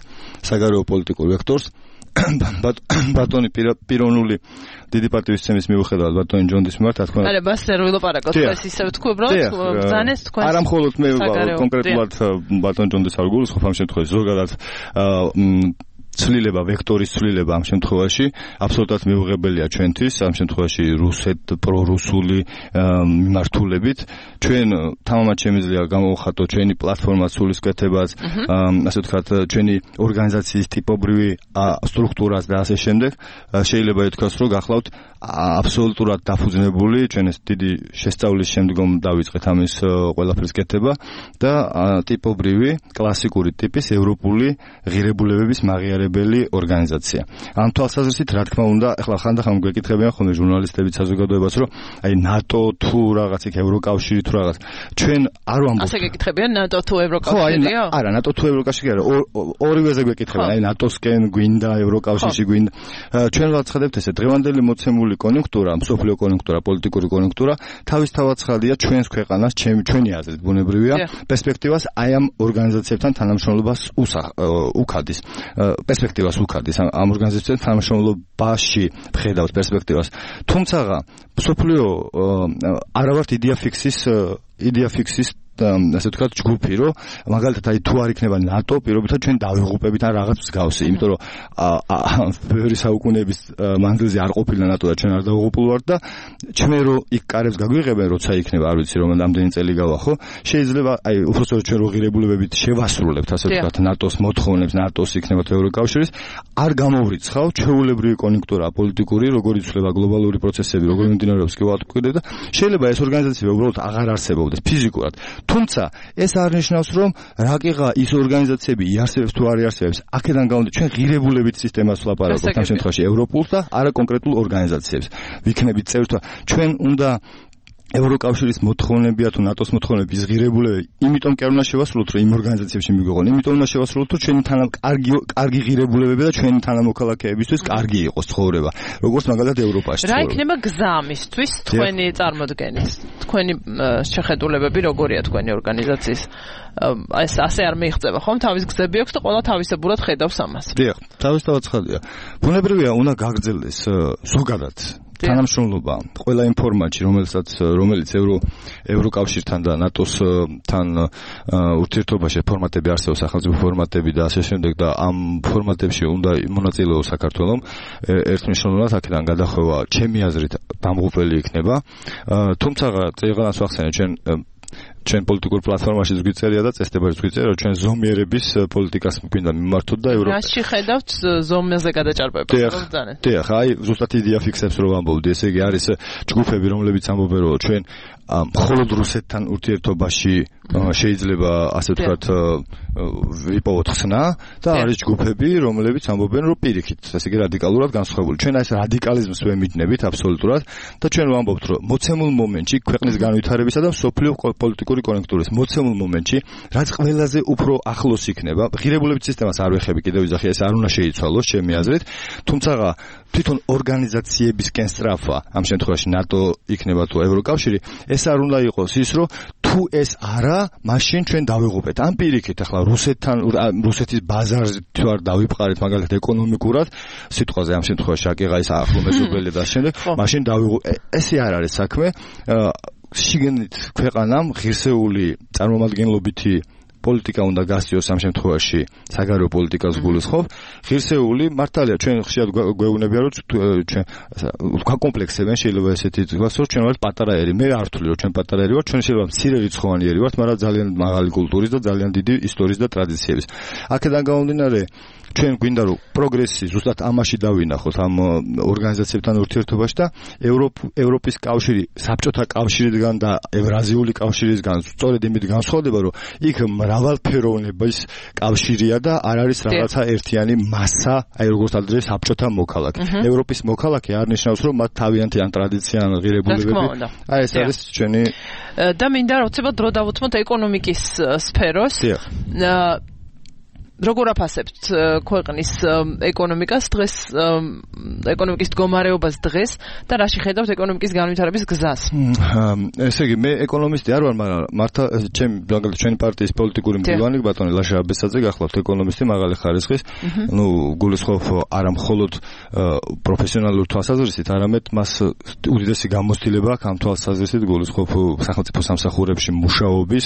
საგარეო პოლიტიკურ ვექტორს, ბატონი პიროვნული დიდი პატივისცემის მიუხედავად ბატონი ჯონდის მიმართ, რა თქმა უნდა. არა, ბას ვერ ვილაპარაკოთ, ეს ისე ვთქვი, უბრალოდ ბრძანეს თქვენ. არა მხოლოდ მე კონკრეტულად ბატონ ჯონდეს არ გულისხმობ ამ შემთხვევაში, ზოგადად ცვლილება, ვექტორის ცვლილება ამ შემთხვევაში აბსოლუტურად მიუღებელია ჩვენთვის, ამ შემთხვევაში პრორუსული მიმართულებით. ჩვენ თამამად შემიძლია გამოვხატოთ ჩვენი პლატფორმა სულისკვეთებას, ასე ვთქვათ, ჩვენი ორგანიზაციის ტიპობრივი სტრუქტურას და ასე შემდეგ. შეიძლება ითქვას, რომ გახლავთ აბსოლუტურად დაფუძნებული, ჩვენ ეს დიდი შესწავლის შემდგომ დავიწყეთ ამის ყველაფრის კეთება და ტიპობრივი, კლასიკური ტიპის ევროპული ღირებულებების მაღიარებელი ორგანიზაცია. ამ თვალსაზრისით, რა თქმა უნდა, ახლა ხანდახან გვეკითხებიან ხოლმე ჟურნალისტები საზოგადოებას, რომ აი ნატო თუ რაღაც იქ ევროკავშირი თუ რაღაც. ჩვენ არ ვამბობთ. ასე გეკითხებიან ნატო თუ ევროკავშირიო? არა, ნატო თუ ევროკავშირი არა, ორივეზე გვეკითხებიან, აი ნატოსკენ გვინდა, ევროკავშირში გვინდა. ჩვენ ვაცხადებთ ესე, დღევანდელი მოცემული კონიუნქტურა, მსოფლიო კონიუნქტურა, პოლიტიკური კონიუნქტურა თავისთავად ცხადია ჩვენს ქვეყანას, ჩვენი აზრით ბუნებრივია, პერსპექტივას აი ამ ორგანიზაციებთან თანამშრომლობას უქადის. პერსპექტივას უქადის ამ ორგანიზაციებთან თანამშრომლობაში ვხედავთ პერსპექტივას. თუმცა მსოფლიო არა ვართ იდეა ფიქსის ასე ვთქვათ ჯგუფი, რომ მაგალითად აი თუ არ იქნება ნატო, პირობითად ჩვენ დავიღუპებით ან რაღაც მსგავსი, იმიტომ რომ ბევრი საუკუნეების მანძილზე არ ყოფილა ნატო და ჩვენ არ დავიღუპულ ვართ და ჩვენ რო იქ კარებს გაგვიღებენ, როცა იქნება, არ ვიცი რომ რამდენი წელი გავა, ხო? შეიძლება აი უბრალოდ ჩვენ რო ღირებულებებით შევასრულებთ, ასე ვთქვათ, ნატოს მოთხოვნებს, ნატოს იქნება თუ ევროკავშირის, არ გამოვრიცხავ ჩვეულებრივი კონიუნქტურა პოლიტიკური, როგორ იცვლება გლობალური პროცესები, როგორ მიმდინარეობს კი ვატყუდე და შეიძლება ეს ორგანიზაციები უბრალოდ აღარ არსებობდეს ფიზიკურად. თუმცა ეს არ ნიშნავს, რომ რაკიღა ის ორგანიზაციები იარსებებს თუ არ იარსებებს, აქედან გამომდინარე ჩვენ ღირებულებით სისტემას ვლაპარაკობთ ამ შემთხვევაში ევროპულს და არა კონკრეტულ ორგანიზაციებს. ვიქნებით წევრი თუ ჩვენ უნდა ევროკავშირის მოთხოვნებია თუ ნატოს მოთხოვნების ღირებულები, იმიტომ კი არ უნდა შევასრულოთ, რომ იმ ორგანიზაციებში მიგვეღონ, იმიტომ უნდა შევასრულოთ, რომ ჩვენი კარგი ღირებულებები და ჩვენი თანამოქალაქეებისთვის კარგი იყოს ცხოვრება, როგორც მაგალითად ევროპაში. რა იქნება გზა ამისთვის თქვენი წარმოდგენით? თქვენი შეხედულებები როგორია თქვენი ორგანიზაციის? ეს ასე არ მიიღწევა ხომ? თავის გზები აქვს და ყველა თავისებურად ხედავს ამას. დიახ, თავისთავად ცხადია. ბუნებრივია უნდა გაგრძელდეს ზოგადად თანამშრომლობა ყველა იმ ფორმატში, რომელიც ევროკავშირთან და ნატოსთან ურთიერთობაში ფორმატები არსებობს, სახელმწიფო ფორმატები და ასე შემდეგ და ამ ფორმატებში უნდა მონაწილეოს საქართველოს. ერთმნიშვნელოვნად აქედან გადახვევა ჩემი აზრით დამღუპელი იქნება. თუმცა წეგანას ვახსენე ჩვენ პოლიტიკურ პლატფორმაში გვიწერია და წესდებაში გვიწერია, რომ ჩვენ ზომიერების პოლიტიკას გვინდა მიმართოთ და რაში ხედავთ ზომიაზე გადაჭარბებას, რომ ბრძანეთ? დიახ, აი ზუსტად იდეა ფიქსებს რომ ამბობდი, ესე იგი არის ჯგუფები, რომლებიც ამბობენ, რომ ჩვენ მხოლოდ რუსეთთან ურთიერთობაში შეიძლება ასე ვთქვათ ვიპოვოთ ხსნა და არის ჯგუფები, რომლებიც ამბობენ, რომ პირიქით, ესე იგი რადიკალურად განსხვავებული. ჩვენ ეს რადიკალიზმს ვემიჯნებით აბსოლუტურად და ჩვენ ვამბობთ, რომ მოცემულ მომენტში ქვეყნის განვითარებისა და მსოფლიო პოლიტიკური კონიუნქტურის მოცემულ მომენტში, რაც ყველაზე უფრო ახლოს იქნება, ღირებულებით სისტემას არ ვეხები კიდევ ვიზახი, ეს არ უნდა შეიცვალოს ჩემი აზრით, თუმცა თვითონ ორგანიზაციებისკენ სწრაფვა, ამ შემთხვევაში ნატო იქნება თუ ევროკავშირი, ეს არ უნდა იყოს ის, რომ თუ ეს არა, მაშინ ჩვენ დავიღუპეთ. ამ პირიქით ახლა რუსეთის ბაზარზე თუ არ დავიფყარეთ მაგალითად ეკონომიკურად, სიტყვაზე ამ შემთხვევაში აკიღა ის ახლო მეზობელი და შემდეგ, მაშინ დავიღუპეთ. ესე არ არის საქმე. შიგნით ქვეყანამ ღირსეული წარმომადგენლობითი პოლიტიკა უნდა გასწიოს ამ შემთხვევაში საგარეო პოლიტიკას გულისხმობ ღირსეული მართალია ჩვენ ხშირად გვეუბნებიან რომ ჩვენ გვაკომპლექსებენ შეიძლება ესეთი თქვას რომ ჩვენ ვართ პატარაერი მე არ ვთვლი რომ ჩვენ პატარაერი ვართ ჩვენ შეიძლება მცირე რიცხოვანიერი ვართ მაგრამ ძალიან მაღალი კულტურის და ძალიან დიდი ისტორიის და ტრადიციების აქედან გამომდინარე ჩვენ გვინდა რომ პროგრესი ზუსტად ამაში დავინახოთ ამ ორგანიზაციებთან ურთიერთობაში და ევროპის კავშირი საბჭოთა კავშირიდან და ევრაზიული კავშირისგან სწორედ იმით განსხვავდება რომ იქ მრავალფეროვნების კავშირია და არ არის რაღაცა ერთიანი მასა აი როგორც ადრე საბჭოთა მოქალაქე ევროპის მოქალაქე არ ნიშნავს რომ მათ თავიანთი ან ტრადიცია ან ღირებულებები აი ეს არის ჩვენი და მინდა რომ ცოტა დრო დავუთმოთ ეკონომიკის სფეროს როგორ აფასებთ ქვეყნის ეკონომიკას დღეს ეკონომიკის მდგომარეობას დღეს და რაში ხედავთ ეკონომიკის განვითარების გზას? ესე იგი მე ეკონომისტი არ ვარ, მაგრამ მართა ჩვენი პარტიის პოლიტიკური მდივანი ბატონი ლაშა აბესაძე გახლავთ ეკონომისტი მაღალი ხარისხის, გულისხმობ არა მხოლოდ პროფესიონალურ თვალსაზრისით, არამედ მას უდიდესი გამოცდილება აქვს ამ თვალსაზრისით გულისხმობ სახელმწიფო სამსახურებში მუშაობის,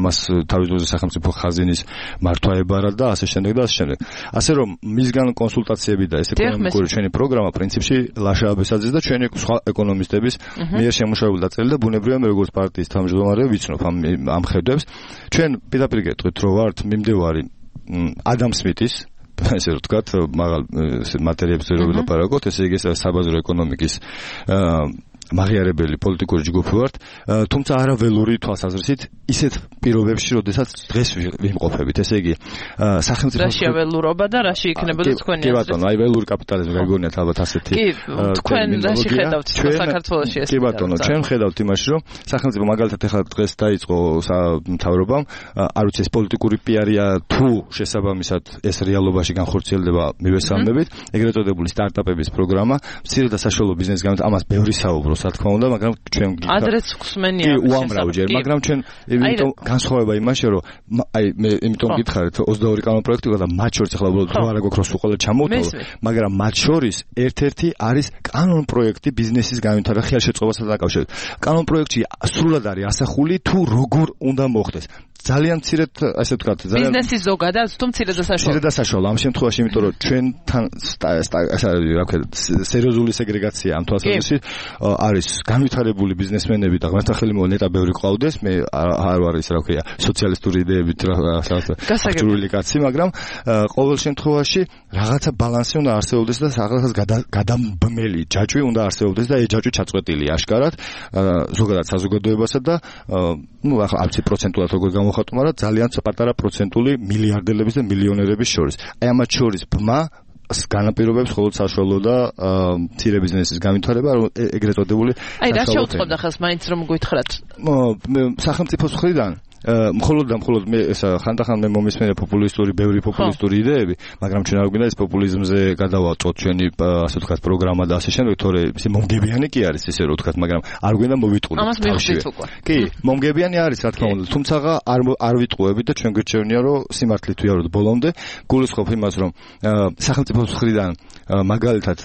მას თავისუფლად სახელმწიფო ხაზინის მართვა ებარა და ასე შემდეგ და ასე შემდეგ. ასე რომ მისგან კონსულტაციები და ეს ეკონომიკური ჩვენი პროგრამა პრინციპში ლაშა აბესაძის და ჩვენი სხვა ეკონომისტების მიერ შემუშავებული დაწერილი და ბუნებრივია მე როგორც პარტიის თავმჯდომარე ვიცნობ ამ ხედვებს. ჩვენ პირდაპირ გეტყვით რომ ვართ მიმდევარი ადამ სმითის ესე რომ ვთქვათ მაღალ მატერიებზე რო ვილაპარაკოთ, ესე იგი საბაზრო ეკონომიკის მაღიარებელი პოლიტიკური ჯგუფი ვართ, თუმცა არა ველური თვალსაზრისით ისეთ პირობებში, როდესაც დღეს ვიმყოფებით. ესე იგი, სახელმწიფო რაშია ველურობა და რაში იქნებოდა თქვენი აზრი? კი ბატონო, აი ველური კაპიტალიზმი გაგონიათ ალბათ ასეთი. კი, თქვენ რაში ხედავთ საქართველოში ეს? კი ბატონო, ჩვენ ხედავთ იმაში, რომ სახელმწიფო მაგალითად ეხლა დღეს დაიწყო მთავრობამ, არ ვიცი ეს პოლიტიკური პიარია თუ შესაბამისად ეს რეალობაში განხორციელდება მივესალმებით, ეგრეთ წოდებული სტარტაპების პროგრამა, მცირე და საშუალო ბიზნესის გამო ამას ბევრი საუბრობს. რა თქმა უნდა, მაგრამ ჩვენ ადრეც ხსმენია კი უამრავჯერ, მაგრამ ჩვენ იმიტომ განსხვავება იმაში, რომ აი მე იმიტომ გითხარით 22 კანონპროექტი და მათ შორის ახლა უბრალოდ რა გვაქვს რომ სულ ყველა ჩამოვთვალო, მაგრამ მათ შორის ერთ-ერთი არის კანონპროექტი ბიზნესის განვითარება ხელშეწყობასთან დაკავშირებით. კანონპროექტი სრულად არის ასახული თუ როგორ უნდა მოხდეს. ძალიან მცირედ ასე ვთქვათ, ძალიან ბიზნესის ზოგადად თუ მცირედ და საშუალო. მცირედ და საშუალო ამ შემთხვევაში, იმიტომ რომ ჩვენთან ასე რა ვქეთ, სერიოზული სეგრეგაცია ამ თვალსაზრისით არის განვითარებული ბიზნესმენები და ღმერთთან ხელი მოვა ნეტა ბევრი ყავდეს, მე არ ვარ ის რა ვქია, სოციალისტური იდეებით გასაგებული კაცი, მაგრამ ყოველ შემთხვევაში რაღაცა ბალანსი უნდა არსებობდეს და რაღაცას გადამბმელი ჯაჭვი უნდა არსებობდეს და ეს ჯაჭვი ჩაწყვეტილი აშკარად ზოგადად საზოგადოებასა და ნუ ახლა არც პროცენტულად როგორ გამოვხატო, მაგრამ ძალიან პატარა პროცენტული მილიარდელების და მილიონერების შორის. აი ამათ შორის ბმა განაპირობებს მხოლოდ საშუალო და მცირე ბიზნესის განვითარება, ეგრეთ წოდებული. აი რა შეუწყობდა ხელს მაინც რომ გითხრათ? სახელმწიფოს მხრიდან მხოლოდ მე ესა ხანდახან მე მომისმენია ბევრი პოპულისტური იდეები, მაგრამ ჩვენ არ გვინდა ეს პოპულიზმზე გადავაწყვოთ ჩვენი ასე ვთქვათ პროგრამა და ასე შემდეგ, თორე ისე მომგებიანი კი არის ისე რომ ვთქვათ, მაგრამ არ გვინდა მოვიტყუოთ. ამას მივხვდით უკვე. კი, მომგებიანი არის რა თქმა უნდა, თუმცა არ ვიტყუებით და ჩვენ გვირჩევნია რომ სიმართლით ვიაროთ ბოლომდე, გულისხმობ იმას რომ სახელმწიფოს მხრიდან მაგალითად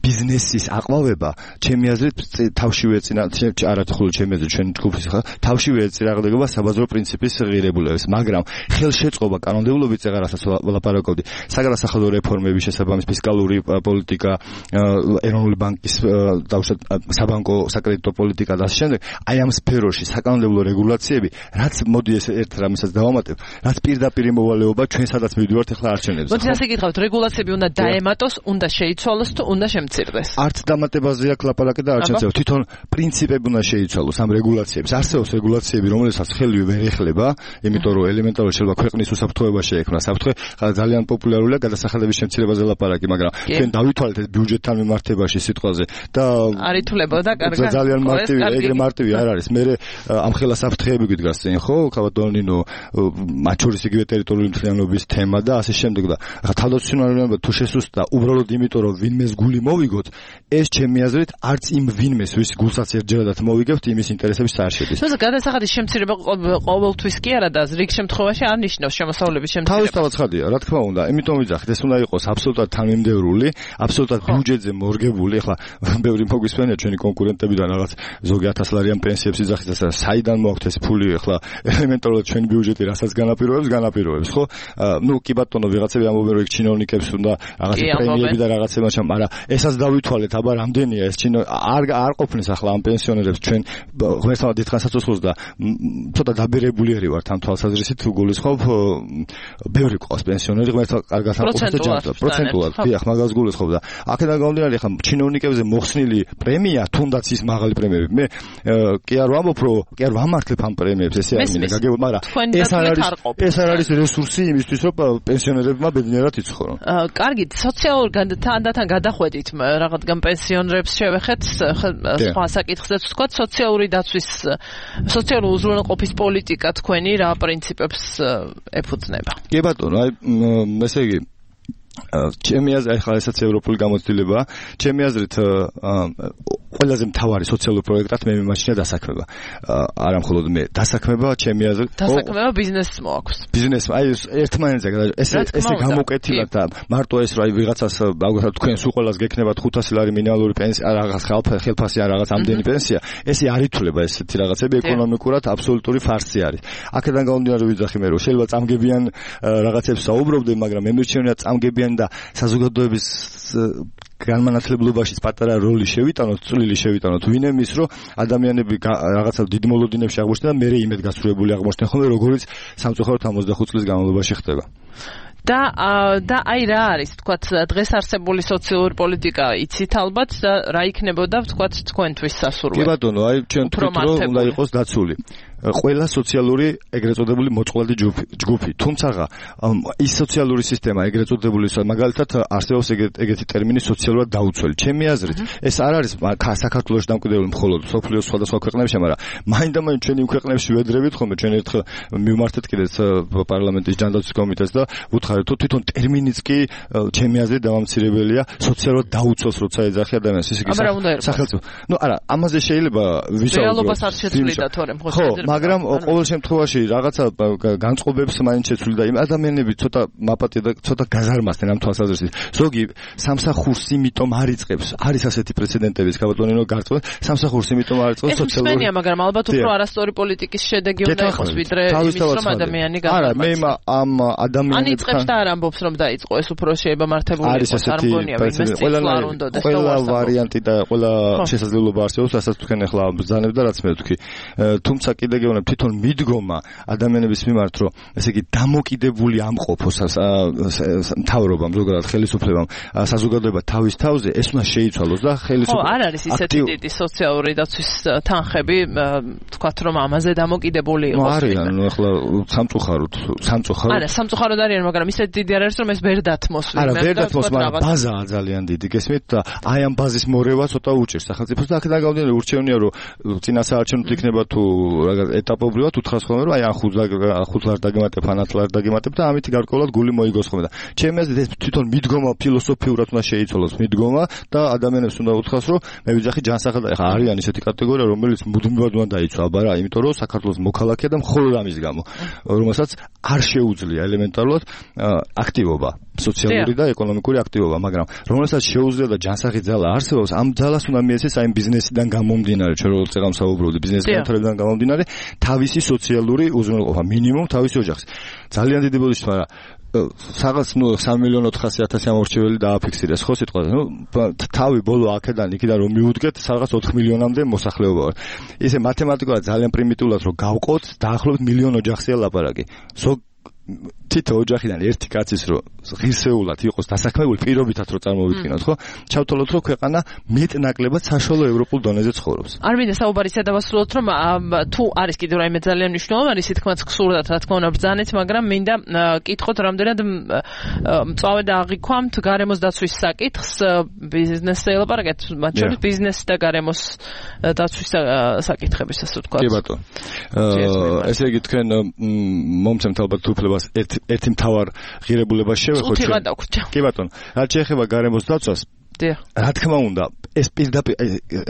ბიზნესის აყვავება ჩემი აზრით თავშივე ეწინა არა მხოლოდ ჩემი აზრით ჩვენი ჯგუფის თავშივე ეწინააღმდეგება საბაზრო პრინციპის ღირებულებას, მაგრამ ხელშეწყობა კანონმდებლობით ეღარასაც ვლაპარაკობდი. საგადასახადო რეფორმების შესაბამის ფისკალური პოლიტიკა, ეროვნული ბანკის საბანკო საკრედიტო პოლიტიკა და ასე შემდეგ. აი ამ სფეროში საკანონმდებლო რეგულაციები, რაც მოდი ეს ერთ რამესაც დავამატებ, რაც პირდაპირ მოვალეობა ჩვენ სადაც მივდივართ ახლა არჩევნებზე. მოდი ასე გითხავთ, რეგულაციები უნდა დაემატოს, უნდა შეიცვალოს თუ უნდა შემცირდეს? არც დამატებაზე აქ ლაპარაკი და არ შეცდომა. თვითონ პრინციპები უნდა შეიცვალოს ამ რეგულაციებს. არსებობს რეგულაციები, რომელსაც ხელივე ვერ ეხლება, იმიტომ რომ ელემენტარულად შეიძლება ქვეყნის უსაფრთხოება შეექმნა. საფრთხე ძალიან პოპულარულია გადასახადების შემცირებაზე ლაპარაკი, მაგრამ ჩვენ დავითვალეთ ეს ბიუჯეტთან მიმართებაში სიტყვაზე და არ ითვლებოდა კარგად. ძალიან მარტივი, ეგრე მარტივი არ არის. მე ამ ხელა საფრთხეები გიდგას წინ, ხო? ქავატონინო მათ შორის იგივე ტერიტორიული მთლიანობის თემა და ასე შემდეგ და ახლა თავდაცვითი თუ შესუსტდა უბრალოდ იმიტომ რომ ვინმეს გული მოვიგოთ, ეს ჩემი აზრით არც იმ ვინმეს ვის გულსაც ერთჯერადად მოვიგებთ იმის ინტერესების არ შედის. თუმცა გადასახადის შემცირება ყოველთვის კი არა და რიგ შემთხვევაში არ ნიშნავს შემოსავლების შემცირებას. თავისთავად ცხადია, რა თქმა უნდა, იმიტომ ვიძახით, ეს უნდა იყოს აბსოლუტურად თანმიმდევრული, აბსოლუტურად ბიუჯეტზე მორგებული. ახლა ბევრი მოგვისმენია ჩვენი კონკურენტებიდან რაღაც ზოგი 1000 ლარიან პენსიებს იძახით, და საიდან მოაქვთ ეს ფული, ახლა ელემენტარულად ჩვენი ბიუჯეტი რასაც განაპირობებს, ხო? ნუ კი ბატონო, ვიღაცები ამბობენ, რომ ჩინოვნიკებს უნდა რაღაც პრემიები და რაღაცება ჩამ, მაგრამ ესაც დავითვალეთ, აბა რამდენია ეს არ ყოფნის ახლა ამ პენსიონერებს ჩვენ ღმერთმა დიდხანს აწუხოს და ცოტა დაბერებულიერი ვართ ამ თვალსაზრისით თუ გულისხმობ ბევრი ყავს პენსიონერი ღმერთმა კარგად აკეთებს და ჯანმრთელად პროცენტულად დიახ მაგას გულისხმობ და აქედან გამომდინარე ახლა ჩინოვნიკებზე მოხსნილი პრემია თუნდაც ის მაღალი პრემიები მე კი არ ვამბობ რომ კი არ ვამართლებ ამ პრემიებს ესე არ მინდა გაგებოდ მაგრამ ეს არ არის რესურსი იმისთვის რომ პენსიონერებმა ბედნიერად იცხოვრონ კარგით სოციალურ თანდათან გადახვედით რაღაცგან პენსიონერებს შევეხეთ სხვა საკითხსაც ვთქვათ სოციალური დაცვის სოციალური უზრუნველყოფის პოლიტიკა თქვენი რა პრინციპებს ეფუძნება? კი ბატონო, აი ესე იგი ჩემი აზრით ახლა ესაც ევროპული გამოცდილებაა. ჩემი აზრით ყველაზე მთავარი სოციალური პროექტად მე მიმაჩნია დასაქმება. არა მხოლოდ მე, დასაქმება ჩემი აზრით. დასაქმება ბიზნესს მოაქვს. ბიზნესს, აი ერთმანეთზე ესე გამოკეთილად და მარტო ეს რა ვიღაცას მაგალითად თქვენს უყოლას გექნებათ 500 ლარი მინიმალური პენსია, რაღაც ხელფასი ან რაღაც ამდენი პენსია, ესე არ ითვლება ესეთი რაღაცები ეკონომიკურად აბსოლუტური ფარსი არის. აქედან გამომდინარე ვიძახი მე რომ შეიძლება წამგებიან რაღაცებს საუბრობდე, მაგრამ მე მირჩენია წამგებიან და საზოგადოების განმანათლებლობაში პატარა როლი შევიტანოთ, წვლილი შევიტანოთ, ვინემის რომ ადამიანები რაღაცა დიდ მოლოდინებში აღმოჩნდნენ და მე იმედგაცრუებული აღმოჩნდნენ ხოლმე როგორიც სამწუხაროდ 65 წლის განმავლობაში ხდება. და აი რა არის თქვათ დღეს არსებული სოციალური პოლიტიკა იცით ალბათ და რა იქნებოდა თქვათ თქვენთვის სასურველი? კი ბატონო, აი ჩვენ თქვით რომ უნდა იყოს დაცული ყველა სოციალური ეგრეთ წოდებული მოწყვლადი ჯგუფი, თუმცა ის სოციალური სისტემა ეგრეთ წოდებული მაგალითად არსებობს ეგეთი ტერმინი სოციალურად დაუცველი. ჩემი აზრით ეს არ არის საქართველოში დამკვიდრებული მხოლოდ სოფლიოს სხვადასხვა ქვეყნებში, მაგრამ მაინდა-მაინც ჩვენი ქვეყნებში ვედრებით ხოლმე ჩვენ ერთხელ მივმართეთ კიდეც პარლამენტის ჯანდაცვის კომიტეტს და ვუთხარით თუ თვითონ ტერმინიც კი ჩემი აზრით დამამცირებელია სოციალურად დაუცველს როცა ეძახი ადამიანს ისე სახელმწიფო. ნუ არა, ამაზე შეიძლება ვისაუბროთ. რეალობას არ შეცვლიდა თორემ ხო შეიძლება მაგრამ ყოველ შემთხვევაში რაღაცა განწყობებს მაინც შეცვლიდა იმ ადამიანები ცოტა მაპატია და ცოტა გაზარმასდნენ ამ თვალსაზრისით. ზოგი სამსახურს იმიტომ არ იწყებს. არის ასეთი პრეცედენტები, გაბატონინო გარკვეულ სამსახურს იმიტომ არ იწყებს სოციალური. ეს მაგრამ ალბათ უფრო არასწორი პოლიტიკის შედეგი უნდა იყოს ვიდრე იმის რომ ადამიანი არა მე ამ ადამიანებს ან იწყებს და არ ამბობს რომ დაიწყო ეს უფრო შეიძლება მართებული იყოს არ მგონია ვინმეს წინვალ უნდა და ყველა ვარიანტი და ყველა შესაძლებლობა არსებობს რასაც თქვენ ახლა ბრძანებ და რაც მე ვთქვი. თუმცა კიდე გეუბნებ თვითონ მიდგომა ადამიანების მიმართ რომ ესე იგი დამოკიდებული ამყოფოს მთავრობამ ზოგადად ხელისუფლებამ საზოგადოება თავის თავზე ეს უნდა შეიცვალოს და ხელისუფლება არ არის ისეთი დიდი სოციალური დაცვის თანხები თქვათ რომ ამაზე დამოკიდებული იყოს არიან ახლა სამწუხაროდ არა სამწუხაროდ არიან მაგრამ ისეთი დიდი არ არის რომ ეს ვერ დათმოს არა ვერ დათმოს მაგრამ ბაზაა ძალიან დიდი გესმით და აი ამ ბაზის მორევა ცოტა უჭირს სახელმწიფოს და აქედან გამომდინარე ურჩევნია რომ წინა საარჩევნოდ იქნება თუ რაღაც ეტაპობრივად უთხრას ხოლმე რომ აი ან 5 ლარ დაგემატებ ან 10 ლარ დაგემატებ და ამით გარკვეულად გული მოიგოს ხოლმე და ჩემი აზრით ეს თვითონ მიდგომა ფილოსოფიურად უნდა შეიცვალოს მიდგომა და ადამიანებს უნდა უთხრას რომ მე ვიძახი ჯანსაღად ახლა არიან ისეთი კატეგორია რომელიც მუდმივად უნდა დაიცვა აბა რა იმიტომ რომ საქართველოს მოქალაქეა და მხოლოდ ამის გამო რომელსაც არ შეუძლია ელემენტარულად აქტივობა სოციალური და ეკონომიკური აქტივობა მაგრამ რომელსაც შეუძლია და ჯანსაღი ძალა არსებობს ამ ძალას უნდა მიეცეს აი ბიზნესიდან გამომდინარე ჩვენ როგორც წეგამ საუბრობდი ბიზნესის განვითარებიდან გამომდინარე თავისი სოციალური უზრუნველყოფა მინიმუმ თავისი ოჯახის ძალიან დიდი ბოდიში მაგრამ რაღაც 3.400.000 ამორჩეველი დააფიქსირეს ხო სიტყვაზე ნუ თავი ბოლო აქედან იქიდან რომ მიუდგეთ რაღაც 4 მილიონამდე მოსახლეობა ვარ ისე მათემატიკურად ძალიან პრიმიტიულად რომ გავყოთ დაახლოებით მილიონ ოჯახია ლაპარაკი თითო ოჯახიდან ერთი კაცის რო ღირსეულად იყოს დასაქმებული პირობითად რო წარმოვიდგინოთ ხო ჩავთვალოთ რომ ქვეყანა მეტნაკლებად საშუალო ევროპულ დონეზე ცხოვრობს არ მინდა საუბარი სადავასრულოთ რომ თუ არის კიდევ რაიმე ძალიან მნიშვნელოვანი სითქმაც გსურდათ რა თქმა უნდა ბრძანეთ მაგრამ მინდა კითხოთ რამდენად მწვავე და აღიქვამთ გარემოს დაცვის საკითხს ბიზნესზე ელაპარაკეთ მათ შორის ბიზნესი და გარემოს დაცვის საკითხების ასე ვთქვათ კი ბატონო ესე იგი თქვენ მომცემთ ალბათ უფლებას ერთი მთავარ ღირებულებას შევეხოთ ჩვენ. კი ბატონო, რაც შეეხება გარემოს დაცვას რა თქმა უნდა ეს პირდაპირ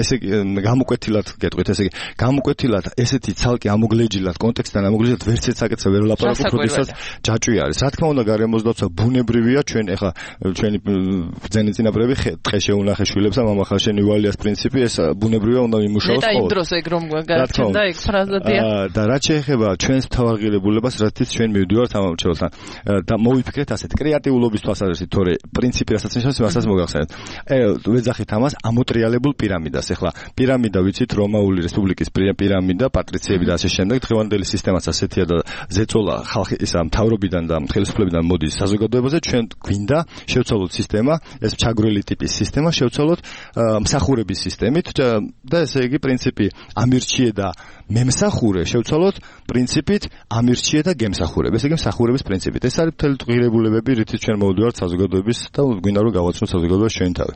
ესე გამოკვეთილად გეტყვით ესე გამოკვეთილად ესეთი ცალკე ამოგლეჯილად კონტექსტთან ამოგლეჯილად ვერც ერთ საკითხზე ვერ ვლაპარაკობ როდესაც ჯაჭვი არის რა თქმა უნდა გარემოსდაცვა ბუნებრივია ჩვენ ეხლა ჩვენი ბრძენი წინაპრები ტყე შეუნახე შვილებს და მამახალშენი ვალიას პრინციპი ეს ბუნებრივია უნდა იმუშაოს ხოლმე და იმ დროს ეგ რომ გაჩნდა ეგ ფრაზადია და რაც შეეხება ჩვენს თავარღირებულებას რათიც ჩვენ მივდივართ ამ მრჩეველთან და მოვიფიქრეთ ასეთ კრეატიულობის თვალსაზრისით თორე პრინციპი რასაც ნიშნავს მასაც მოგახსენეთ ვეძახით ამას ამოტრიალებულ პირამიდას ეხლა პირამიდა ვიცით რომაული რესპუბლიკის პირამიდა პატრიციები და ასე შემდეგ დღევანდელი სისტემაც ასეთია და ზეწოლა ხალხის ისა მთავრობიდან და ხელისუფლებიდან მოდის საზოგადოებაზე ჩვენ გვინდა შევცვალოთ სისტემა ეს ჩაგვრელი ტიპის სისტემა შევცვალოთ მსახურების სისტემით და ესე იგი პრინციპი ამირჩიე და მემსახურე შევცვალოთ პრინციპით ამირჩიე და გემსახურებ ესე იგი მსახურების პრინციპით ეს არის მთელი ღირებულებები რითიც ჩვენ მოვდივართ საზოგადოების და გვინდა რომ გავაცნოთ საზოგადოებას ჩვენ თავი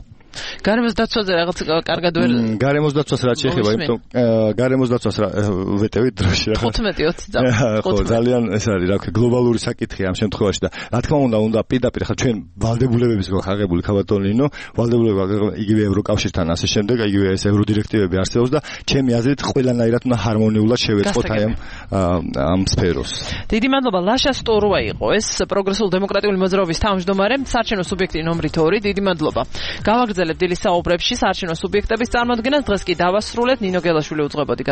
გარემოს დაცვაზე რაღაც კარგად ვერ გარემოს დაცვას რაც შეეხება იმიტომ გარემოს დაცვას ვეტევით დროში რა 15-20 წამი ხო ძალიან ეს არის რა ვქო გლობალური საკითხია ამ შემთხვევაში და რა თქმა უნდა პირდაპირ ხა ჩვენ ვალდებულებების გვაქვს აღებული ქავატონინო ვალდებულება იგივე ევროკავშირთან ასე შემდეგ იგივე ეს ევროდირექტივები არსებობს და ჩემი აზრით ყველანაირად უნდა ჰარმონიულად შევეწყოთ აი ამ სფეროს დიდი მადლობა ლაშა სტოროა იყო ეს პროგრესულ დემოკრატიული მოძრაობის თავმჯდომარე საარჩევნო სუბიექტი ნომერი 2 დიდი მადლობა გავაგრძელებთ დილის საუბრებში საარჩევნო სუბიექტების წარმოადგენას დღეს კი დავასრულეთ ნინო გელაშვილი უძღვებოდი